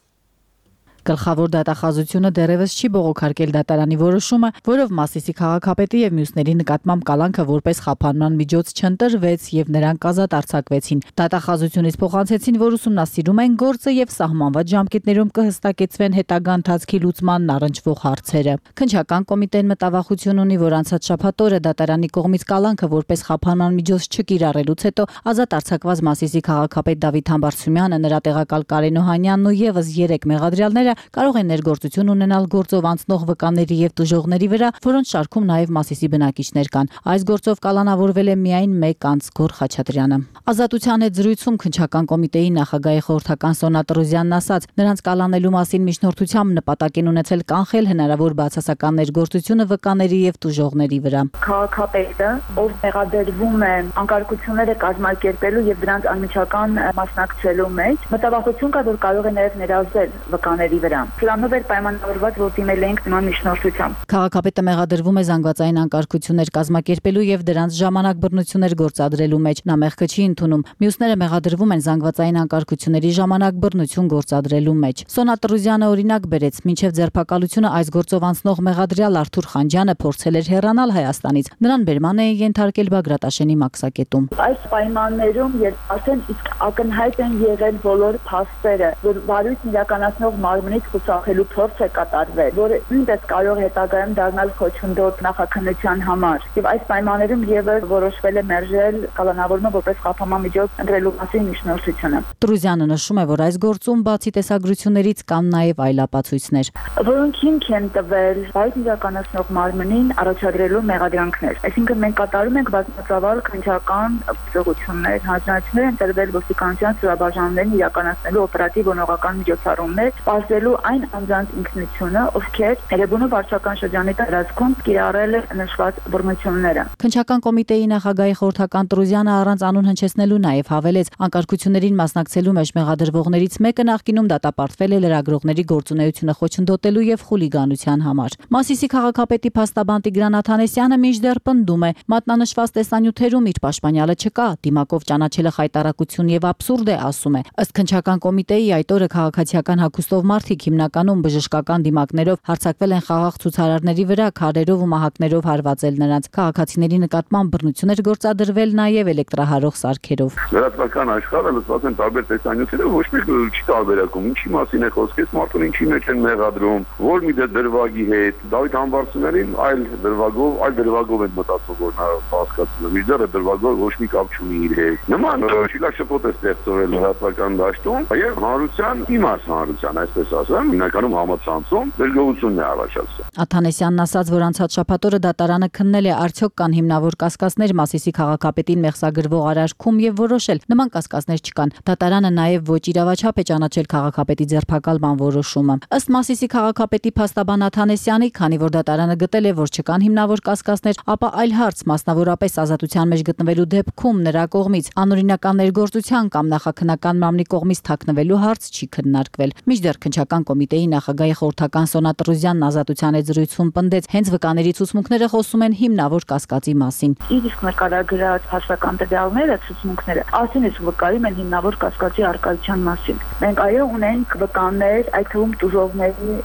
P: Գլխավոր դատախազությունը դեռևս չի բողոքարկել դատարանի որոշումը, որով Մասիսի քաղաքապետի եւ մյուսների նկատմամբ կալանքը որպես խափանման միջոց չընտրվեց եւ նրանք ազատ արձակվեցին։ Դատախազությունից փոխանցեցին, որ ուսումնասիրում են գործը եւ սահմանված ժամկետներում կհստակեցվեն հետագա ընթացքի լուծմանն առնչվող հարցերը։ Քննչական կոմիտեն մտավախություն ունի, որ անցած շաբաթ օրը դատարանի կողմից կալանքը որպես խափանման միջոց չկիրառելուց հետո ազատ արձակված Մասիսի քաղաքապետ Դավիթ Համբարձումյանը, նրա տեղակալ Կարեն Օհանյանն ու եւս երեք մեղադրյալները կարող են ներգործություն ունենալ գործով անցնող վկաների եւ տուժողների վրա, որոնց շարքում նաեւ Մասիսի բնակիչներ կան։ Այս գործով կալանավորվել է միայն մեկ անձ Գոր Խաչատրյանը։ Ազատության հետ զրույցում քննչական կոմիտեի նախագահի խորհրդական Սոնա Տրուզյանն ասաց, նրանց կալանելու մասին միջնորդությամբ նպատակ են ունեցել կանխել հնարավոր բացասական ներգործությունը վկաների եւ տուժողների վրա։
Q: Քաղաքապետը, ով մեղադրվում է անկարգությունները կազմակերպելու եւ դրանց անմիջական մասնակցելու մեջ, մտավախություն կա, որ կարող է նաեւ ներազդել վկաների վրա։ Սրանով էր պայմանավորված, որ դիմել էինք նման միջնորդությամբ։
P: Քաղաքապետը մեղադրվում է զանգվածային անկարգություններ կազմակերպելու եւ դրանց ժամանակ բռնություններ գործադրելու մեջ։ Նա մեղքը չի ընդունում։ Մյուսները մեղադրվում են զանգվածային անկարգությունների ժամանակ բռնություն գործադրելու մեջ։ Սոնա Տրուզյանը օրինակ բերեց, մինչև ձերբակալությունը այս գործով անցնող մեղադրյալ Արթուր Խանջյանը փորձել էր հեռանալ Հայաստանից։ Նրան բերման էին ենթարկել Բագրատաշենի մաքսակետում։
Q: Այս պայմաններում, երբ արդեն իսկ ակնհայտ են եղել բոլոր փաստերը, որ վարույթն իրականացնող մարմնից խուսափելու փորձ է կատարվել, որը նույնպես կարող հետագայում դառնալ խոչընդոտ նախաքննության համար։ Եվ այս պայմաններում եւս որոշվել է մերժել կալանավորումը որպես խափանման միջոց ընտրելու մասին միջնորդությունը։
P: Տրուզյանը նշում է, որ այս գործում բացի տեսագրություններից կան նաեւ այլ ապացույցներ,
Q: որոնք հիմք են տվել վարույթ իրականացնող մարմնին առաջադրելու մեղադրանքներ։ Այսինքն մենք կատարում ենք բազմածավալ քննչական գործողություններ, հանձնարարություններ են տրվել ոստիկանության ծրաբաժանումներին իրականացնելու օպերատիվ օնողական միջոցառումներ, պարզելու այն անձանց ինքնությունը, ովքեր Էրեբունու վարչական շրջանի տարածքում կիրառել են նշված բռնությունները։
P: Քննչական կոմիտեի նախագահի խորհրդական Տրուզյանը առանց անուն հնչեցնելու նաև հավելեց, անկարգություններին մասնակցելու մեջ մեղադրվողներից մեկը նախկինում դատապարտվել է լրագրողների գործունեությունը խոչընդոտելու եւ խուլիգանության համար։ Մասիսի քաղաքապետի փաստաբան Տիգրան Աթանեսյանը մինչդեռ պնդում է, մատնանշված տեսանյութերում իր պաշտպանյալը չկա, դիմակով ճանաչելը խայտարակություն եւ աբսուրդ է, ասում է։ Ըստ քննչական կոմիտեի այդ օրը քաղաքացիական հագուստով մարդիկ հիմնականում բժշկական դիմակներով հարձակվել են խաղաղ ցուցարարների վրա, քարերով ու մահակներով հարվածել նրանց։ Քաղաքացիների նկատմամբ բռնություններ գործադրվել նաև էլեկտրահարող սարքերով։
R: Լրատվական աշխարհը լսված են տարբեր տեսանյութերը, ոչ մեկ չի տարբերակում, ինչի մասին է խոսք, այս մարդուն ինչի մեջ են մեղադրում, որ մի դրվագի հետ, Դավիթ Համբարձումյանին այլ դրվագով, այլ դրվագով են մտածում, որ նա հասկացնում է, միջդեռ դրվագով ոչ մի կապ չունի իր հետ։ Նման շիլաշփոթ է ստեղծվել լրատվական դաշտում, եւ հանրության, իմաց հանրության, այսպես ասեմ, հիմնականում համացանցում դժգոհությունն է առաջացել։
P: Աթանեսյանն ասաց, որ անցած շաբաթ օրը դատարանը քննել է արդյոք կան հիմնավոր կասկածներ Մասիսի քաղաքապետին մեղսագրվող արարքում եւ որոշել նման կասկածներ չկան։ Դատարանը նաեւ ոչ իրավաչափ է ճանաչել քաղաքապետի ձերբակալման որոշումը։ Ըստ Մասիսի քաղաքապետի փաստաբան Աթանեսյանի, քանի որ դատարանը գտել է, որ չկան հիմնավոր կասկածներ, ապա այլ հարց, մասնավորապես ազատության մեջ գտնվելու դեպքում նրա կողմից անօրինական ներգործության կամ նախաքննական մամլի կողմից թաքնվելու հարց չի քննարկվել։ Մինչդեռ քննչական կոմիտեի նախագահի խորհրդական Սոնա Տրուզյանն ազատության հետ զրույցում պնդեց, հենց վկաների ցուցմունքները խոսում են հիմնավոր կասկածի մասին։
Q: Իր իսկ նկարագրած հաշվական տվյալները, ցուցմունքները, ասին իսկ վկայում են հիմնավոր կասկածի արկայության մասին։ Մենք այո ունենք վկաներ, այդ թվում տուժողների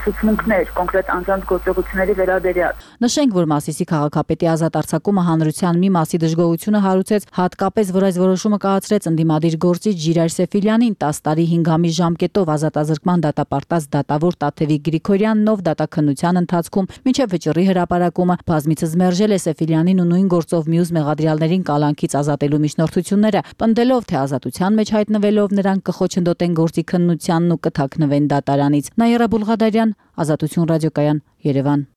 Q: ցուցմունքներ, կոնկրետ անձանց գործողությունների վերաբերյալ։
P: Նշենք, որ Մասիսի քաղաքապետի ազատ արձակումը հանրության մի մասի դժգոհությունը հարուցեց, հատկապես որ այս որոշումը կայացրեց ընդդիմադիր գործիչ Ժիրայր Սեֆիլյանին տասը տարի հինգ ամիս ժամկետով ազատազրկման դատապարտած դատավոր Տաթևիկ Գրիգորյանն, ով դատաքննության ընթացքում մինչև վճռի հրապարակումը բազմիցս մերժել է Սեֆիլյանին ու նույն գործով մյուս մեղադրյալներին կալանքից ազատելու միջնորդությունները, պնդելով, թե ազատության մեջ հայտնվելով նրանք կխոչընդոտեն գործի քննությանն ու կթաքնվեն դատարանից։ Նաիրա Բուլղադարյան, Ազատություն ռադիոկայան, Երևան։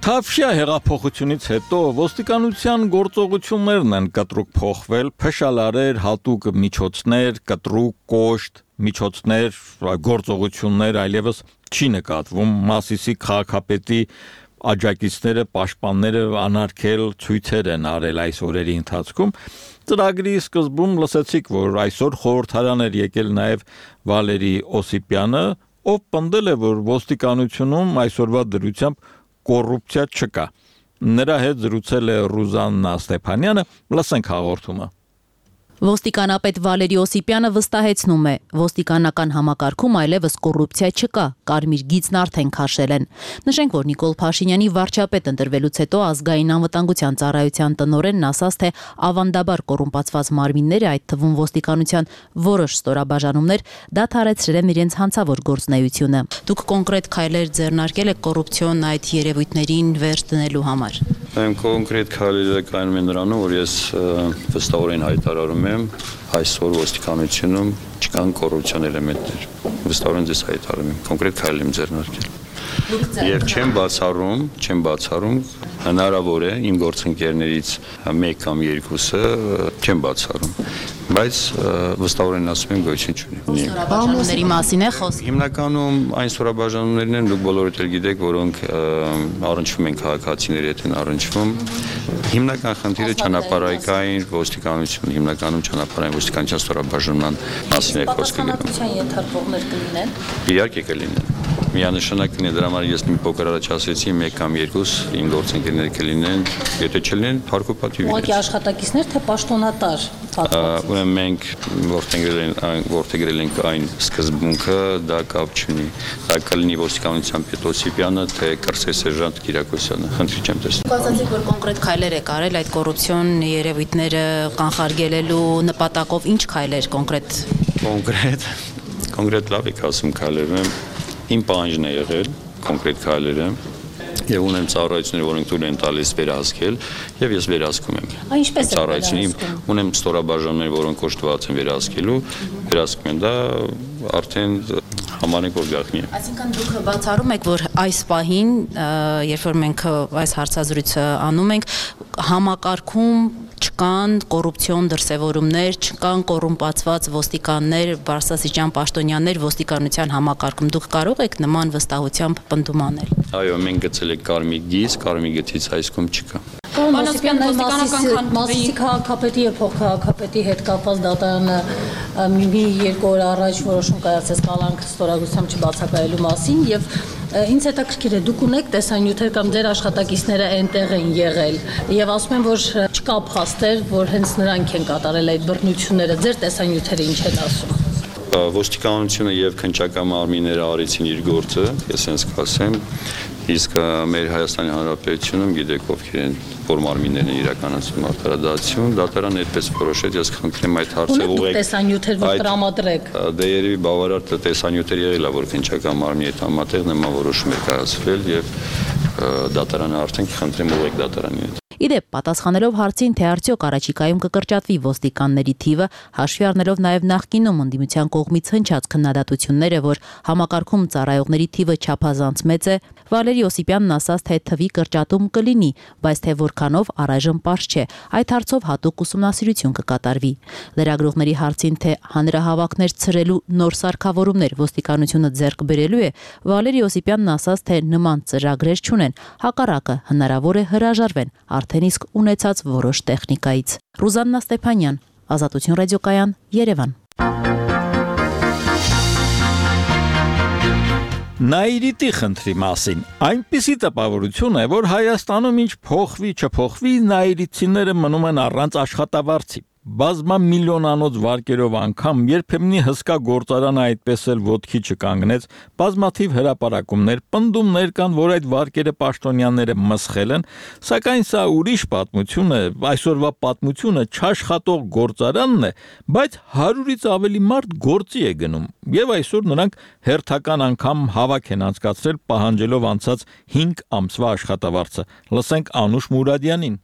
A: Թավշյա հեղափոխությունից հետո ոստիկանության գործողություններն են կտրուկ փոխվել, փշալարեր, հատուկ միջոցներ, կտրուկ կոշտ միջոցներ, գործողություններ այլևս չի նկատվում։ Մասիսի քաղաքապետի աջակիցները, պաշտպանները անարգել ցույցեր են արել այս օրերի ընթացքում։ Ծրագրի սկզբում լսեցիք, որ այսօր խորհրդարան էր եկել նաև Վալերի Օսիպյանը, ով պնդել է, որ ոստիկանությունում այսօրվա դրությամբ կոռուպցիա չկա։ Նրա հետ զրուցել է Ռուզաննա Ստեփանյանը, լսենք հաղորդումը։
C: Ոստիկանապետ Վալերի Օսիպյանը վստահեցնում է, ոստիկանական համակարգում այլևս կոռուպցիա չկա, կարմիր գիծն արդեն քաշել են։ Նշենք, որ Նիկոլ Փաշինյանի վարչապետ ընտրվելուց հետո ազգային անվտանգության ծառայության տնօրենն ասաց, թե ավանդաբար կոռումպացված մարմինները, այդ թվում ոստիկանության որոշ ստորաբաժանումներ, դադարեցրել են իրենց հանցավոր գործունեությունը։ Դուք կոնկրետ քայլեր ձեռնարկել եք կոռուպցիոն այդ երևույթներին վերջ դնելու համար։
S: Այն կոնկրետ քայլերը կայանում են նրանում, որ ես վստահորեն հայտարարում եմ, այսօր ոստիկանությունում չկան կոռուպցիոն էլեմենտներ։ Վստահորեն ձեզ հայտարարում եմ, կոնկրետ քայլ եմ ձեռնարկել։ Եվ չեմ բացառում, չեմ բացառում, հնարավոր է իմ գործընկերներից մեկ կամ երկուսը չեմ բացառում, բայց վստահորեն ասում եմ գոյություն չունի։
C: Ստորաբաժանումների մասին է խոսքը։
S: Հիմնականում այն ստորաբաժանումներն են, դուք բոլորդ էլ գիտեք, որոնք առնչվում են քաղաքացիների հետ են առնչվում։ Հիմնական խնդիրը ճանապարհային ոստիկանություն, հիմնականում ճանապարհային ոստիկանության ստորաբաժանման մասին է խոսքը։
C: Պատասխանատվության ենթարկվողներ կլինեն։
S: Իհարկե կլինեն։ Միանշանակ կլինի, դրա համար ես մի փոքր առաջ ասեցի, մեկ կամ երկուս իմ գործընկերներ կլինեն, եթե չլինեն, հարկոպատիվ։
C: Ուղղակի աշխատակիցներ, թե պաշտոնատար։
S: Ուրեմն մենք որդեգրել ենք այն սկզբունքը, դա կապ չունի։ Դա կլինի ոստիկանության պետ Օսիպյանը, թե կրսե սերժանտ Կիրակոսյանը։ Խնդրի չեմ տեսնում։
C: Դուք ասացիք, որ կոնկրետ քայլեր եք արել այդ կոռուպցիոն երևույթները կանխարգելելու նպատակով, ինչ քայլեր կոնկրետ։
S: Կոնկրետ, կոնկրետ լավ եք ասում քայլեր։ Իմ պահանջն է եղել կոնկրետ քայլերը եւ ունեմ ծառայություններ, որոնք թույլ են տալիս վերահսկել եւ ես վերահսկում եմ։
C: Ինչպես է
S: ծառայությունում ունեմ ստորաբաժանումներ, որոնք կոչված են վերահսկելու, վերահսկում են, դա արդեն համարենք որ գաղտնի է։
C: Այսինքն դուք բացառում եք, որ այս պահին, երբ որ մենք այս հարցազրույցը անում ենք, համակարգում չկան կոռուպցիոն դրսևորումներ, չկան կոռումպացված ոստիկաններ, բարձրաստիճան պաշտոնյաներ ոստիկանության համակարգում։ Դուք կարող եք նման վստահությամբ պնդում անել։
S: Այո, մենք գծել ենք կարմիր գիծ, կարմիր գծից այսքում չկա։
T: Պարոն Օսիպյան, Մասիսի քաղաքապետի եւ փոխքաղաքապետի հետ կապված դատարանը մի երկու օր առաջ որոշում կայացրեց կալանք ստորագրությամբ չբացակայելու մասին եւ ինձ հետաքրքիր է դուք ունեք տեսանյութեր կամ ձեր աշխատակիցները այնտեղ են եղել եւ ասում են որ չկա փաստեր որ հենց նրանք են կատարել այդ բռնությունները ձեր տեսանյութերը ինչ են ասում
S: ոստիկանությունը եւ քննչական մարմինները արեցին իր գործը ես հենց կասեմ իսկ մեր Հայաստանի Հանրապետությունում գիտեք ովքեր են որ մարմիններն են իրականացնում արդարադատություն դատարանը այդպես որոշեց ես խնդրեմ այդ հարցը ուղղեք
T: տեսանյութեր որ տրամադրեք
S: դե երևի բավարար տեսանյութեր եղել է որ քննչական մարմինի հետ համատեղ նման որոշում է կայացվել եւ դատարանը արդեն խնդրեմ ուղղեք դատարանին հետ
C: Իդեպ, պատասխանելով հարցին, թե արդյոք առաջիկայում կկրճատվի ոստիկանների թիվը, հաշվի առնելով նաև նախկինում ընդդիմության կողմից հնչած քննադատությունները, որ համակարգում ծառայողների թիվը չափազանց մեծ է, Վալերի Օսիպյանն ասաց, թե թվի կրճատում կլինի, բայց թե որքանով առայժմ պարզ չէ, այդ հարցով հատուկ ուսումնասիրություն կկատարվի։ Լրագրողների հարցին, թե հանրահավաքներ ցրելու նոր սարքավորումներ ոստիկանությունը ձեռք բերելու է, Վալերի Օսիպյանն ասաց, թե նման ծրագրեր չունեն, հակառակը հնարավոր է հրաժարվեն արդեն իսկ ունեցած որոշ տեխնիկայից։ Ռուզաննա Ստեփանյան, Ազատություն ռադիոկայան, Երևան։
A: Նայիրիտի խնդրի մասին այնպիսի տպավորություն է, որ Հայաստանում ինչ փոխվի, չփոխվի, նայիրիցիները մնում են առանց աշխատավարձի։ Բազմամիլիոնանոց վարկերով անգամ երբեմնի հսկա գործարանը այդպես էլ ոտքի չկանգնեց, բազմաթիվ հրապարակումներ, պնդումներ կան, որ այդ վարկերը պաշտոնյաները մսխել են, սակայն սա ուրիշ պատմություն է, այսօրվա պատմությունը չաշխատող գործարանն է, բայց հարյուրից ավելի մարդ գործի է գնում, եւ այսօր նրանք հերթական անգամ հավաք են անցկացրել պահանջելով անցած հինգ ամսվա աշխատավարձը։ Լսենք Անուշ Մուրադյանին։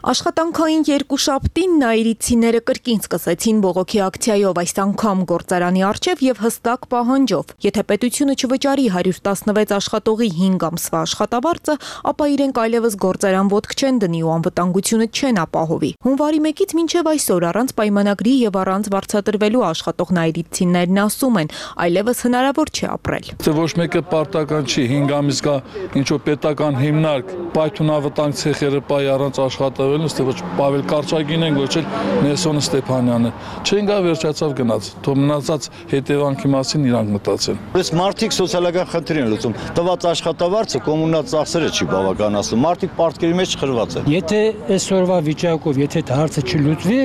U: Աշխատանքային երկուշաբթին նայիրիցիները կրկին սկսեցին բողոքի ակցիայով այս անգամ գործարանի առջև եւ հստակ պահանջով. եթե պետությունը չվճարի հարյուր տասնվեց աշխատողի հինգ ամսվա աշխատավարձը, ապա իրենք այլևս գործարան ոտք չեն դնի ու անվտանգությունը չեն ապահովի։ Հունվարի մեկից մինչև այսօր առանց պայմանագրի եւ առանց վարձատրվելու աշխատող նայիրիցիներն ասում են, այլևս հնարավոր չէ ապրել։
V: Ոչ մեկը պարտական չի, հինգ ամիս կա ինչ որ պետական հիմնարկ, պայթուն անվտանգ ցեխերը պայ առանց աշխատավարձ
B: տվել, ըստ ոչ Պավել Կարճագին են, ոչ էլ Նելսոն Ստեփանյանը։ Չեն գա վերջացավ գնաց, թող մնացած հետևանքի մասին իրանք մտածեն։
V: Այս մարդիկ սոցիալական խնդիր են լուծում։ Տված աշխատավարձը կոմունալ ծախսերը չի բավականացնում։ Մարդիկ պարտքերի մեջ խրված են։
W: Եթե այսօրվա վիճակով, եթե դա հարցը չլուծվի,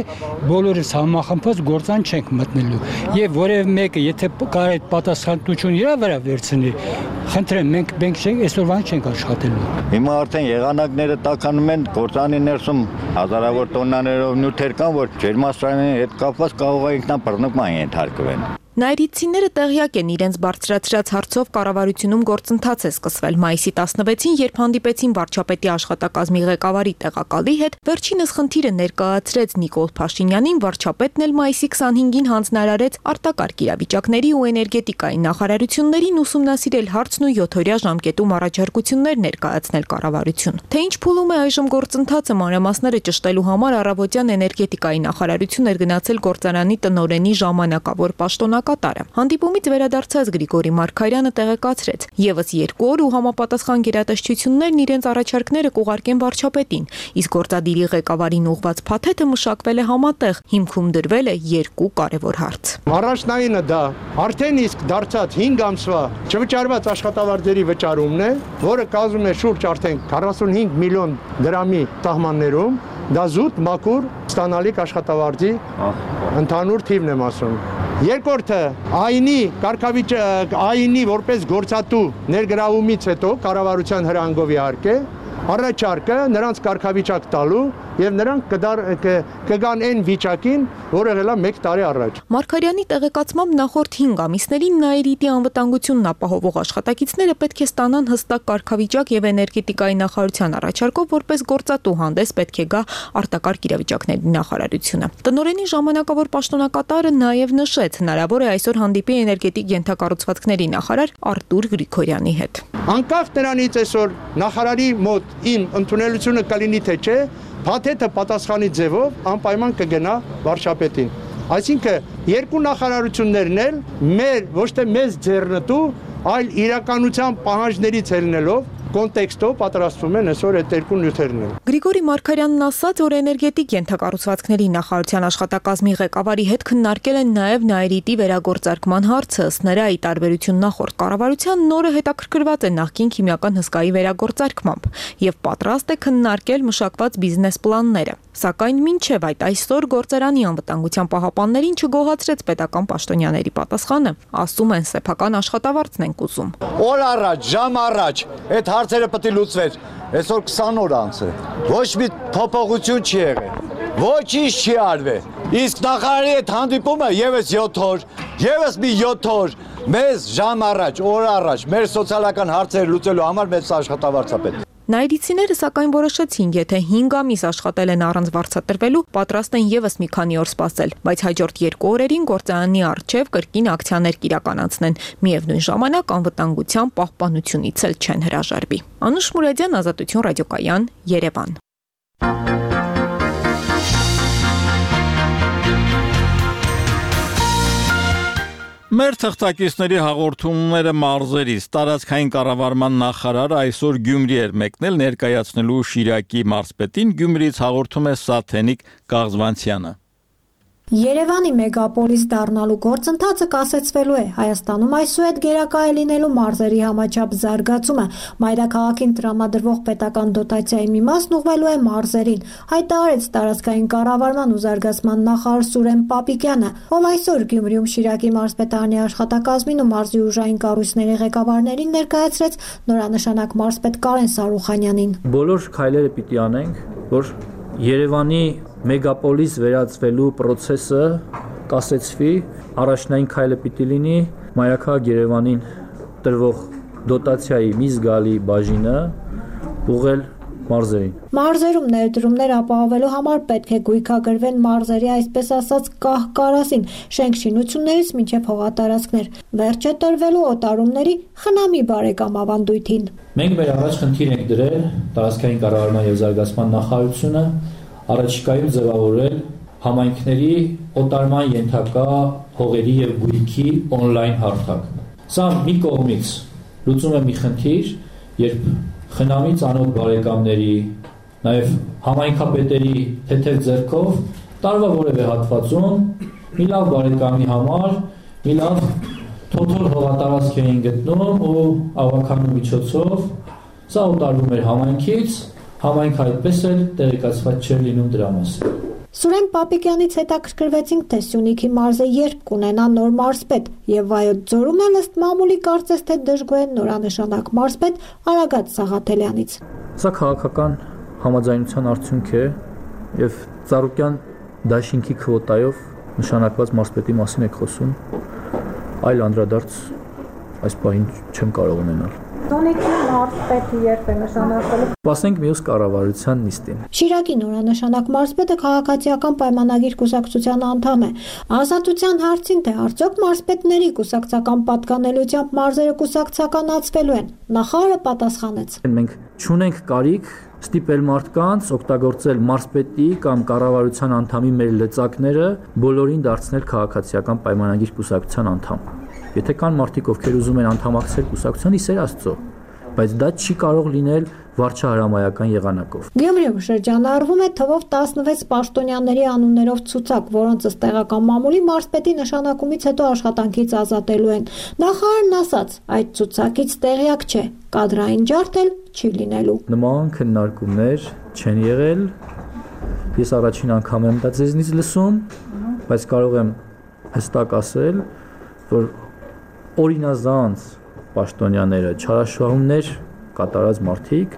W: բոլորս համախմբած գործան չենք մտնելու։ Եվ որևէ մեկը, եթե կարող է պատասխանատվություն իր վրա վերցնի, խնդրեմ, մենք մենք չենք այսօրվան չենք աշխատելու։
V: Հիմա արդեն եղանակները տաքանում են, գործանի ներսում հազարավոր տոննաներով նյութեր կան, որ ջերմաստիճանի հետ կապված կարող է ինքնաբռնկման ենթարկվեն։
U: Նայրիցիները տեղյակ են իրենց բարձրացրած հարցով կառավարությունում գործընթաց է սկսվել մայիսի տասնվեցին, երբ հանդիպեցին վարչապետի աշխատակազմի ղեկավարի տեղակալի հետ, վերջինս խնդիրը ներկայացրեց Նիկոլ Փաշինյանին, վարչապետն էլ մայիսի քսանհինգին հանձնարարեց արտակարգ իրավիճակների ու էներգետիկայի նախարարություններին ուսումնասիրել հարցն ու յոթօրյա ժամկետում առաջարկություններ ներկայացնել կառավարություն։ Թե ինչ փուլում է այժմ գործընթացը, մանրամասները ճշտելու համար առավոտյան էներգետիկայի նախարարություն էր գնացել գործարանի տնօրենի ժամանակավոր պաշտոնյա կատարը։ Հանդիպումից վերադարձած Գրիգորի Մարգարյանը տեղեկացրեց. Եվս երկու օր ու համապատասխան գերատեսչություններն իրենց առաջարկները կուղարկեն վարչապետին, իսկ գործադիրի ղեկավարին ուղված փաթեթը մշակվել է համատեղ, հիմքում դրվել է երկու կարևոր հարց։
K: Առաջնայինը դա արդեն իսկ դարձած հինգ ամսվա չվճարված աշխատավարձերի վճարումն է, որը կազմում է շուրջ արդեն քառասունհինգ միլիոն դրամի սահմաններում, դա զուտ մաքուր ստանալիք աշխատավարձի ընդհանուր թիվն եմ ասում։ Երկրորդը այնի կարգավիճակ այնի որպես գործատու ներգրավումից հետո կառավարության հրանգով իհարկե առաջարկը նրանց կարգավիճակ տալու եւ նրանք կգան այն վիճակին, որը եղել է մեկ տարի առաջ։
U: Մարգարյանի տեղեկացմամբ նախորդ հինգ ամիսներին Նայիրիտի անվտանգությունն ապահովող աշխատակիցները պետք է ստանան հստակ կարգավիճակ եւ էներգետիկայի նախարարության առաջարկով, որպես գործատու հանդես պետք է գա արտակարգ իրավիճակների նախարարությունը։ Տնօրենի ժամանակավոր պաշտոնակատարը նաեւ նշեց, հնարավոր է այսօր հանդիպի էներգետիկ ենթակառուցվածքների նախարար Արտուր Գրիգորյանի հետ։
K: Անկախ նրանից այսօր նախարարի մոտ իմ ընդունելությունը կլինի թե չէ, փաթեթը պատասխանի ձևով անպայման կգնա վարչապետին։ Այսինքն երկու նախարարություններն էլ մեր ոչ թե մեզ ձեռնտու, այլ իրականության պահանջներից ելնելով կոնտեքստով պատրաստվում են այսօր այդ երկու նյութերն են։
U: Գրիգորի Մարգարյանն ասաց, որ էներգետիկ ենթակառուցվածքների նախարարության աշխատակազմի ղեկավարի հետ քննարկել են նաև Նայիրիտի վերագործարկման հարցը, ըստ նրա ի տարբերություն նախորդ կառավարության նորը հետաքրքրված է նախկին քիմիական հսկայի վերագործարկմամբ եւ պատրաստ է քննարկել մշակված բիզնես պլանները։ Սակայն մինչև այդ այսօր գործարանի անվտանգության պահապաններին չգոհացրեց պետական պաշտոնյաների պատասխանը, ասում են սեփական աշխատավարձն են ուզում։
V: Օր առաջ, ժամ առաջ, այդ հարցերը պետք է լուծվեր։ Այսօր քսան օր անց է։ Ոչ մի փոփոխություն չի եղել։ Ոչինչ չի արվել։ Իսկ նախարարի այդ հանդիպումը եւս յոթ օր, եւս մի յոթ օր, մեզ ժամ առաջ, օր առաջ, մեր սոցիալական հարցերը լուծելու համար մեծ աշխատավարձ է պետք։
U: Նայիրիցիները սակայն որոշեցին, եթե հինգ ամիս աշխատել են առանց վարձատրվելու, պատրաստ են եւս մի քանի օր սպասել, բայց հաջորդ երկու օրերին գործարանի առջև կրկին ակցիաներ կիրականացնեն։ Միևնույն ժամանակ անվտանգության պահպանությունից էլ չեն հրաժարվի։ Անուշ Մուրադյան, Ազատություն ռադիոկայան, Երևան։
A: Մեր թղթակիցների հաղորդումները մարզերից տարածքային կառավարման նախարար այսօր Գյումրի էր մեկնել ներկայացնելու Շիրակի մարզպետին, Գյումրիից հաղորդում է Սաթենիկ Կաղզվանցյանը։
X: Երևանի մեգապոլիս դառնալու գործընթացը կասեցվելու է։ Հայաստանում այսուհետ գերակա է լինելու մարզերի համաչափ զարգացումը։ Մայրաքաղաքին տրամադրվող պետական դոտացիայի մի մասն ուղղվելու է մարզերին, հայտարարեց տարածքային կառավարման ու զարգացման նախարար Սուրեն Պապիկյանը, ով այսօր Գյումրիում Շիրակի մարզպետարանի աշխատակազմին ու մարզի ուժային կառույցների ղեկավարներին ներկայացրեց նորանշանակ մարզպետ Կարեն Սարուխանյանին։
Y: Բոլոր քայլերը պիտի անենք, որ Երևանի մեգապոլիս վերածվելու process-ը կասեցվի, առաջնային քայլը պիտի լինի Մայրաքաղաք Երևանին տրվող դոտացիայի մի զգալի բաժինը ուղղել մարզերին։
X: Մարզերում ներդրումներ ապահովելու համար պետք է գույքագրվեն մարզերի այսպես ասած կահ-կարասին, շենք շինություններից մինչև հողատարածքներ, վերջ է տրվելու օտարումների խնամի բարեկամ ավանդույթին։
Y: Մենք մեր առաջ խնդիր ենք դրել տարածքային կառավարման եւ զարգացման նախարարությունը առաջիկայում ձևավորել համայնքների օտարման ենթակա հողերի եւ գույքի on-line հարթակ։ Սա մի կողմից լուծում է մի խնդիր, երբ խնամի ծանոթ բարեկամների, նաև համայնքապետերի թեթև ձեռքով տարվա որևէ հատվածում մի լավ բարեկամի համար մի լավ թոթոր հողատարածք էին գտնում ու ավականու միջոցով սա ուտարվում էր համայնքից, համայնքը այդպես էլ տեղեկացված չէր լինում դրա մասին։
X: Սուրեն Պապիկյանից հետաքրքրվեցինք, թե Սյունիքի մարզը երբ կունենա նոր մարզպետ եւ Վայոց ձորում էլ ըստ մամուլի կարծես թե դժգոհ են նորանշանակ մարզպետ Արագած Սաղաթելյանից։
Y: Սա քաղաքական համաձայնության արդյունք է եւ Ծառուկյան դաշինքի քվոտայով նշանակված մարզպետի մասին եք խոսում, այլ անդրադարձ այս պահին չեմ կարող ունենալ։
X: Սյունիքի մարզպետը երբ է նշանակվելու։
Y: Սպասենք մյուս կառավարության նիստին։
X: Շիրակի նորանշանակ մարզպետը քաղաքացիական պայմանագիր կուսակցության անդամ է։ Ազատության հարցին, թե արդյոք մարզպետների կուսակցական պատկանելությամբ մարզերը կուսակցականացվելու են, նախարարը պատասխանեց։
Y: Մենք չունենք կարիք ստիպել մարդկանց օգտագործել մարզպետի կամ կառավարության անդամի մեր լծակները բոլորին դարձնել քաղաքացիական պայմանագիր կուսակցության անդամ։ Եթե կան մարդիկ, ովքեր ուզում են անդամակցել կուսակցության, իսեր Աստծո, բայց դա չի կարող լինել վարչահրամայական եղանակով։
X: Գյումրիում շրջանառվում է թվով տասնվեց պաշտոնյաների անուններով ցուցակ, որոնց ըստ տեղական մամուլի մարզպետի նշանակումից հետո աշխատանքից ազատելու են։ Նախարարն ասաց, այդ ցուցակից տեղյակ չէ, կադրային ջարդ էլ չի լինելու։
Y: Նման քննարկումներ չեն եղել։ Ես առաջին անգամ եմ դա ձեզնից լսում, բայց կարող եմ հստակ ասել, որ օրինազանց պաշտոնյաները, չարաշահումներ կատարած մարդիկ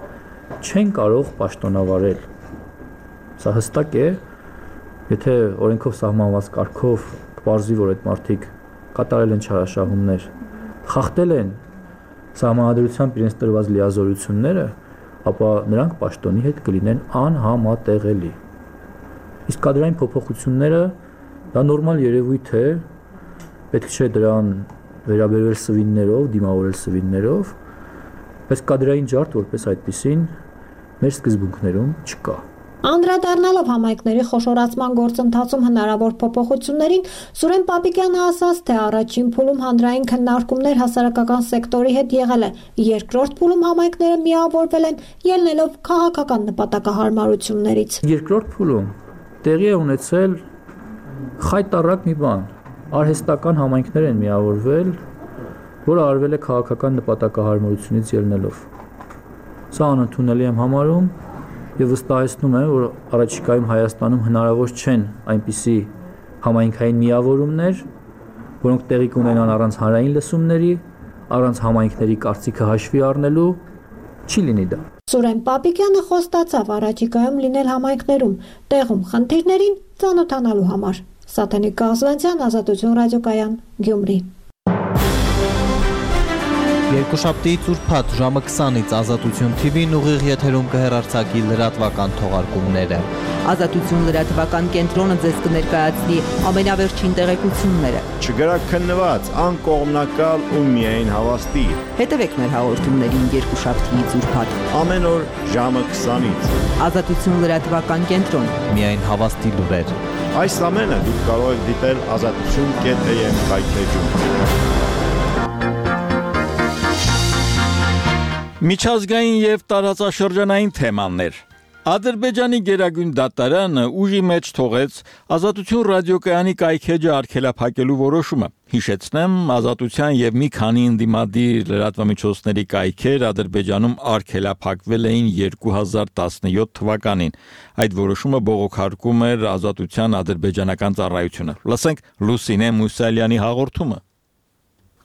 Y: չեն կարող պաշտոնավարել։ Սա հստակ է, եթե օրենքով սահմանված կարգով պարզվի, որ այդ մարդիկ կատարել են չարաշահումներ, խախտել են սահմանադրությամբ իրենց տրված լիազորությունները, ապա նրանք պաշտոնի հետ կլինեն անհամատեղելի։ Իսկ կադրային փոփոխությունները դա նորմալ երևույթ է, պետք չէ դրան վերաբերվել սվիններով, դիմավորել սվիններով, բայց կադրային ջարդ որպես այդպիսին մեր սկզբունքներում չկա։
X: Անդրադառնալով համայնքների խոշորացման գործընթացում հնարավոր փոփոխություններին, Սուրեն Պապիկյանը ասաց, թե առաջին փուլում հանրային քննարկումներ հասարակական սեկտորի հետ եղել է, երկրորդ փուլում համայնքները միավորվել են, ելնելով քաղաքական նպատակահարմարություններից։
Y: Երկրորդ փուլում տեղի է ունեցել խայտառակ մի բան, արհեստական համայնքներ են միավորվել, որը արվել է քաղաքական նպատակահարմարությունից ելնելով։ Սա անընդունելի եմ համարում եւ վստահեցնում եմ, որ առաջիկայում Հայաստանում հնարավոր չեն այնպիսի համայնքային միավորումներ, որոնք տեղի կունենան առանց հանրային լսումների, առանց համայնքների կարծիքը հաշվի առնելու, չի լինի դա։
X: Սուրեն Պապիկյանը խոստացավ առաջիկայում լինել համայնքներում, տեղում խնդիրներին ծանոթանալու համար։ Սաթենիկ Կազվանցյան, Ազատություն ռադիոկայան, Գյումրի։
J: Երկուշաբթի ծուրփաթ ժամը քսանից Ազատություն թի վին ուղիղ եթերում կհեռարձակի լրատվական թողարկումները։
D: Ազատություն լրատվական կենտրոնը ձեզ կներկայացնի ամենավերջին տեղեկությունները։
E: Չգրակ քննված, անկողմնակալ ու միայն հավաստի։
D: Հետևեք մեր հաղորդումներին երկուշաբթի ծուրփաթ
E: ամեն օր ժամը քսանից։
D: Ազատություն լրատվական կենտրոն։
J: Միայն հավաստի լուրեր։
E: Այս ամենը դուք կարող եք դիտել ազատություն կետ է եմ կայքեջում։
A: Միջազգային եւ տարածաշրջանային թեմաներ։ Ադրբեջանի գերագույն դատարանը ուժի մեջ թողեց Ազատություն ռադիոկայանի կայքեջը արգելափակելու որոշումը։ Հիշեցնեմ, Ազատության եւ մի քանի ընդդիմադիր լրատվամիջոցների կայքեր Ադրբեջանում արգելափակվել էին երկու հազար տասնյոթ թվականին։ Այդ որոշումը բողոքարկում էր Ազատության ադրբեջանական ծառայությունը։ Լսենք Լուսինե Մուսալյանի հաղորդումը։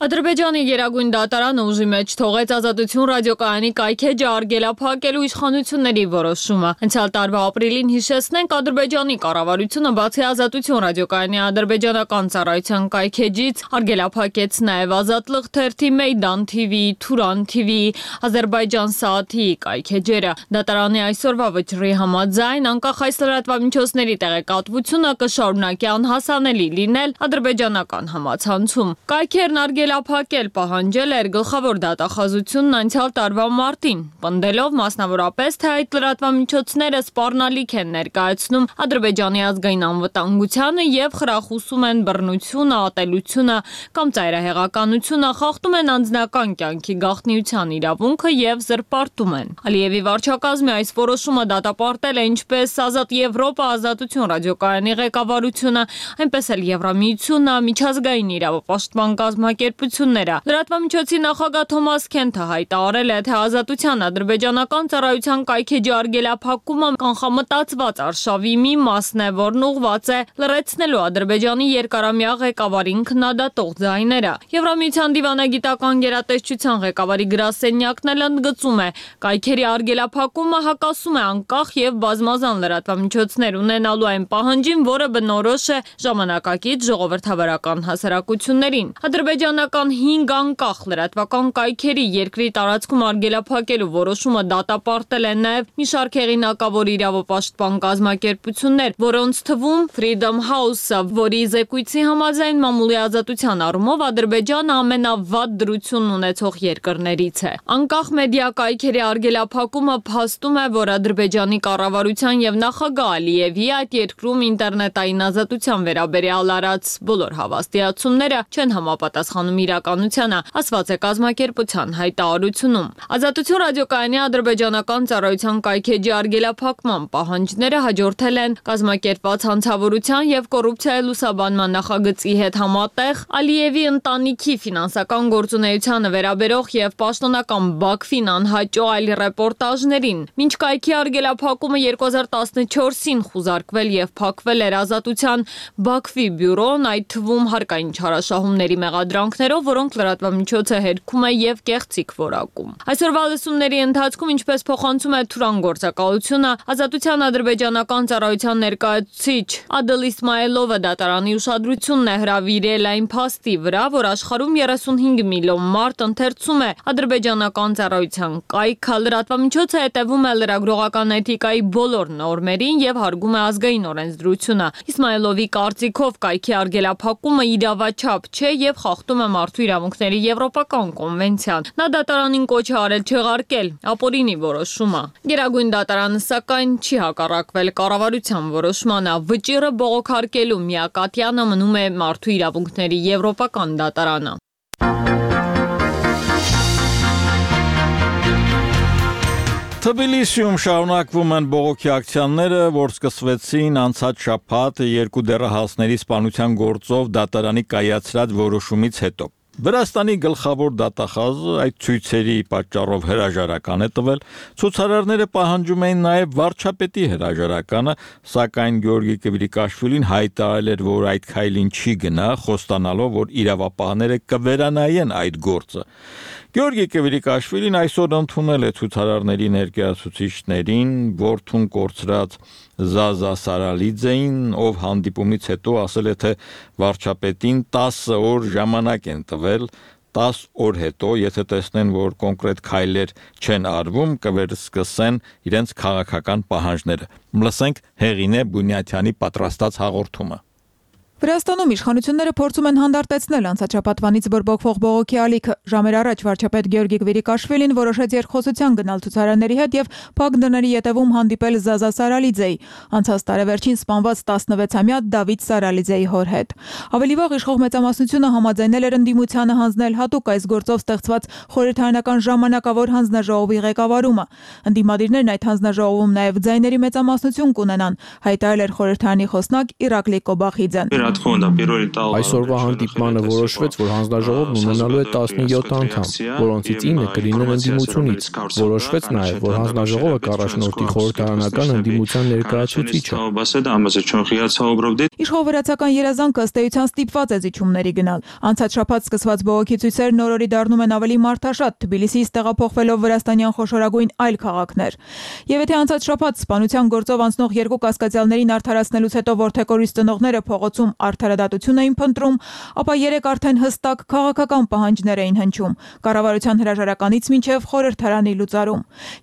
F: Ադրբեջանի գերագույն դատարանը ուժի մեջ թողեց Ազատություն ռադիոկայանի կայքեջը արգելափակելու իշխանությունների որոշումը։ Անցյալ տարվա ապրիլին հիշեցնենք Ադրբեջանի կառավարությունը բացի Ազատություն ռադիոկայանի ադրբեջանական ծառայության կայքեջից արգելափակեց նաև Ազատլıq թերթի, Մեյդան թիվի, Թուրան թիվի, Ադրբեջան Սաաթի կայքեջերը։ Դատարանի այսօրվա վճռի համաձայն անկախ այս լրատվամիջոցների տեղեկատվությունը կշարունակի անհասանելի լինել ադրբեջանական համացանցում։ Կայքերն արգել արգելափակել պահանջել էր գլխավոր դատախազությունն անցյալ տարվա մարտին, պնդելով մասնավորապես, թե այդ լրատվամիջոցները սպառնալիք են ներկայացնում Ադրբեջանի ազգային անվտանգությանը եւ խրախուսում են բռնությունը, ատելությունը կամ ծայրահեղականությունը, խախտում են անձնական կյանքի գաղտնիության իրավունքը եւ զրպարտում են։ Ալիևի վարչակազմի այս որոշումը դատապարտել է ինչպես Ազատ Եվրոպա ազատություն ռադիոկայանի ղեկավարությունը, այնպես էլ Եվրամիությունը, միջազգային իրավապաշտպան կազմակերպությունները։ Լրատվամիջոցի նախագահ Թոմաս Քենթը հայտարարել է, թե ազատության ադրբեջանական ծառայության կայքեջի արգելափակումը կանխամտածված արշավի մի մասն է, որն ուղղված է լրացնելու Ադրբեջանի երկարամյա ղեկավարին քննադատող ձայները։ Եվրամիության դիվանագիտական գերատեսչության ղեկավարի գրասենյակն էլ ընդգծում է, կայքերի արգելափակումը հակասում է անկախ եւ բազմազան լրատվամիջոցներ ունենալու այն պահանջին, որը բնորոշ է ժամանակակից ժողովրդավարական հասարակություններին։ Ադրբեջանական հինգ անկախ լրատվական կայքերի երկրի տարածքում արգելափակելու որոշումը դատապարտել է նաև մի շարք հեղինակավոր իրավապաշտպան կազմակերպություններ, որոնց թվում Freedom House-ը, որի զեկույցի համաձայն մամուլի ազատության առումով Ադրբեջանը ամենավատ դրությունն ունեցող երկրներից է։ Անկախ մեդիա կայքերի արգելափակումը փաստում է, որ Ադրբեջանի կառավարության եւ նախագահ Ալիևի այդ երկրում ինտերնետային ազատության վերաբերյալ արած բոլոր հավաստիացումները չեն համապատասխանում իրականությանը, ասված է կազմակերպության հայտարարությունում։ Ազատություն ռադիոկայանի ադրբեջանական ծառայության կայքեջի արգելափակման պահանջները հաջորդել են կազմակերպված հանցավորության եւ կոռուպցիայի լուսաբանման նախագծի հետ համատեղ Ալիևի ընտանիքի ֆինանսական գործունեությանը վերաբերող եւ պաշտոնական Բաքվին անհաճո այլ ռեպորտաժներին։ Մինչ կայքի արգելափակումը երկու հազար տասնչորսին խուզարկվել եւ փակվել էր ազատության Բաքվի բյուրոն, այդ թվում հարկային չարաշահումների մեղադրանքներով, որոնք լրատվամիջոցը հերքում է եւ կեղծիք որակում։ Այսօրվա լսումների ընթացքում, ինչպես փոխանցում է Թուրան գործակալությունը, ազատության ադրբեջանական ծառայության ներկայացուցիչ Ադել Իսմայելովը դատարանի ուշադրությունն է հրավիրել այն փաստի վրա, որ աշխարհում երեսունհինգ միլիոն մարդ ընթերցում է ադրբեջանական ծառայության կայքը, լրատվամիջոցը հետևում է լրագրողական էթիկայի բոլոր նորմերին եւ հարգում է ազգային օրենսդրությունը։ Իսմայելովի կարծիքով կայքի արգելափակումը իրավաչափ չէ եւ խախտում է մարդու իրավունքների եվրոպական կոնվենցիան։ Նա դատարանին կոչ է արել չեղարկել ապօրինի որոշումը։ Գերագույն դատարանը սակայն չի հակառակվել կառավարության որոշմանը։ Վճիռը բողոքարկելու միակատյանը մնում է մարդու իրավունքների եվրոպական դատարանը։
A: Թբիլիսիում շարունակվում են բողոքի ակցիաները, որ սկսվեցին անցած շաբաթ երկու դեռահասների սպանության գործով դատարանի կայացրած որոշումից հետո։ Վրաստանի գլխավոր դատախազը այդ ցույցերի պատճառով հրաժարական է տվել, ցուցարարները պահանջում էին նաև վարչապետի հրաժարականը, սակայն Գյորգի Կվիրիկաշվիլին հայտարարել էր, որ այդ քայլին չի գնա, խոստանալով, որ իրավապահները կվերանայեն այդ գործը։ Գյորգի Կվիրիկաշվիլին այսօր ընդունել է ցուցարարների ներկայացուցիչներին, որդուն կորցրած Զազա Սարալիձեին, ով հանդիպումից հետո ասել է, թե վարչապետին տասը օր ժամանակ են տվել, տասը օր հետո, եթե տեսնեն, որ կոնկրետ քայլեր չեն արվում, կվերսկսեն իրենց քաղաքական պահանջները։ Լսենք Հեղինե Բունյաթյանի պատրաստած հաղորդումը։
G: Վրաստանում իշխանությունները փորձում են հանդարտեցնել անցած շաբաթվանից բորբոքվող բողոքի ալիքը։ Ժամեր առաջ վարչապետ Գյորգի Կվիրիկաշվիլին որոշեց երկխոսության գնալ ցուցարարների հետ եւ փակ դռների ետևում հանդիպել Զազա Սարալիձեի, անցած տարեվերջին սպանված տասնվեցամյա Դավիթ Սարալիձեի հոր հետ։ Ավելի վաղ իշխող մեծամասնությունը համաձայնել էր ընդդիմությանը հանձնել հատուկ այս գործով ստեղծված խորհրդարանական ժամանակավոր հանձնաժողովի ղեկավարումը։ Ընդդիմադիրներն այդ հանձնաժողովում նաեւ ձայների մեծամասնություն կունենան, հայտարարել էր խորհրդարանի խոսնակ Իրակլի Կոբախիձեն։
H: Այսօրվա հանդիպմանը որոշվեց, որ հանձնաժողովն ունենալու է տասնյոթ անդամ, որոնցից ինը կլինեն ընդդիմությունից։ Որոշվեց նաև, որ հանձնաժողովը կառաջնորդի խորհրդարանական ընդդիմության ներկայացուցիչը։
G: Իշխող վրացական երազանքը ըստ էության ստիպված է զիջումների գնալ։ Անցած շաբաթ սկսված բողոքի ցույցերն օրորի դառնում են ավելի մարդաշատ, Թբիլիսիից տեղափոխվելով վրաստանյան խոշորագույն այլ քաղաքներ։ Եվ եթե անցած շաբաթ սպանության գործով անցնող երկու կասկածյալներին արդարացնելուց հետո որդեկորից ծնողները փողոցում արդարադատություն էին փնտրում, ապա երեք արդեն հստակ քաղաքական պահանջներ էին հնչում, կառավարության հրաժարականից մինչև խորհրդարանի լուծարում։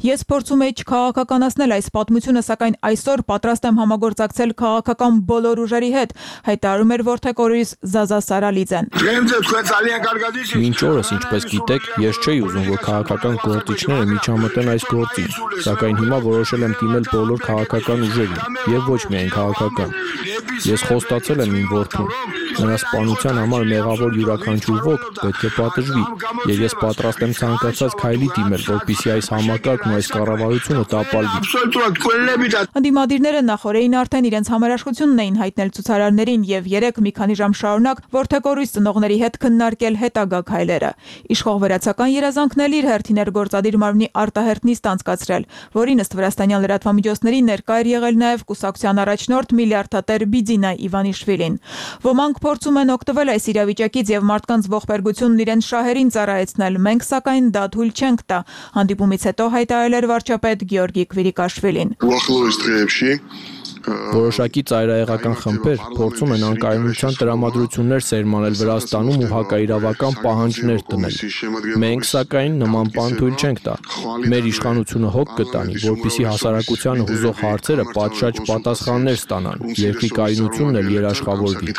G: Ես փորձում եի չքաղաքականացնել այս պատմությունը, սակայն այսօր պատրաստ եմ համագործակցել քաղաքական բոլոր ուժերի հետ, հայտարարում էր որդեկորիս Զազա Սարալիձեն։
H: Մինչ օրս, ինչպես գիտեք, ես չէի ուզում, որ քաղաքական գործիչները միջամտեն այս գործին, սակայն հիմա որոշել եմ դիմել բոլոր քաղաքական ուժերին եւ ոչ միայն քաղաքական։ Ես խոստացել եմ իմ որդուն, նրա սպանության համար մեղավոր յուրաքանչյուր ոք պետք է պատժվի, եւ ես պատրաստ եմ ցանկացած քայլի դիմել, որպեսզի այս համակարգն ու այս կառավարությունը տապալվի։
G: Ընդդիմադիրները նախորդին արդեն իրենց համերաշխությունն էին հայտնել ցուցարարներին եւ երեք մի քանի ժամ շարունակ որդեկորույս ծնողների հետ քննարկել հետագա քայլերը։ Իշխող վերացական երազանքն էլ իր հերթին էր գործադիր մարմնի արտահերթ նիստ անցկացրել, որին ըստ վրաստանյան լրատվամիջոցների ներկա էր եղել նաեւ կուսակցության առաջնորդ միլիարդատեր Բիձինա Իվանիշվիլին։ Ոմանք փորձում են օգտվել այս իրավիճակից եւ մարդկանց ողբերգությունն իրենց շահերին ծառայեցնել, մենք սակայն դա թույլ չենք տա, հանդիպումից հետո հայտարարել էր վարչապետ Գեորգի Քվիրիկաշվիլին։
H: Որոշակի ծայրահեղական խմբեր փորձում են անկայունության տրամադրություններ սերմանել Վրաստանում ու հակաիրավական պահանջներ դնել։ Մենք սակայն նման բան թույլ չենք տա։ Մեր իշխանությունը հոգ կտանի, որպեսզի հասարակությանը հուզող հարցերը պատշաճ պատասխաններ ստանան, երկրի կայունությունն էլ երաշխավորվի։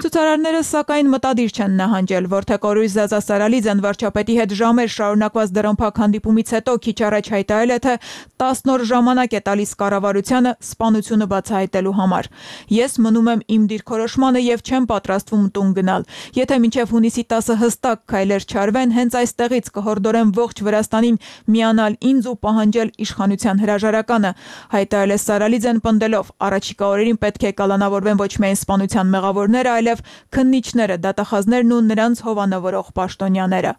G: Ցուցարարները սակայն մտադիր չեն նահանջել, որդեկորույս Զազա Սարալիձեն վարչապետի հետ ժամեր շարունակված դրամփակ հանդիպումից հետո քիչ առաջ հայտարարել է, թե տասն օր ժամանակ է տալիս կառավարությանը սպանությունը բացահայտելու համար։ Ես մնում եմ իմ դիրքորոշմանը եւ չեմ պատրաստվում տուն գնալ։ Եթե մինչեւ հունիսի տասը հստակ քայլեր չարվեն, հենց այստեղից կհորդորեմ ողջ Վրաստանին միանալ ինձ ու պահանջել իշխանության հրաժարականը, հայտարարել է Սարալիձեն պնդելով, առաջիկա օրերին պետք է կալանավորվեն ոչ միայն սպանության մեղավորները, այլև քննիչները, դատախազներն ու նրանց հովանավորող պաշտոնյաները։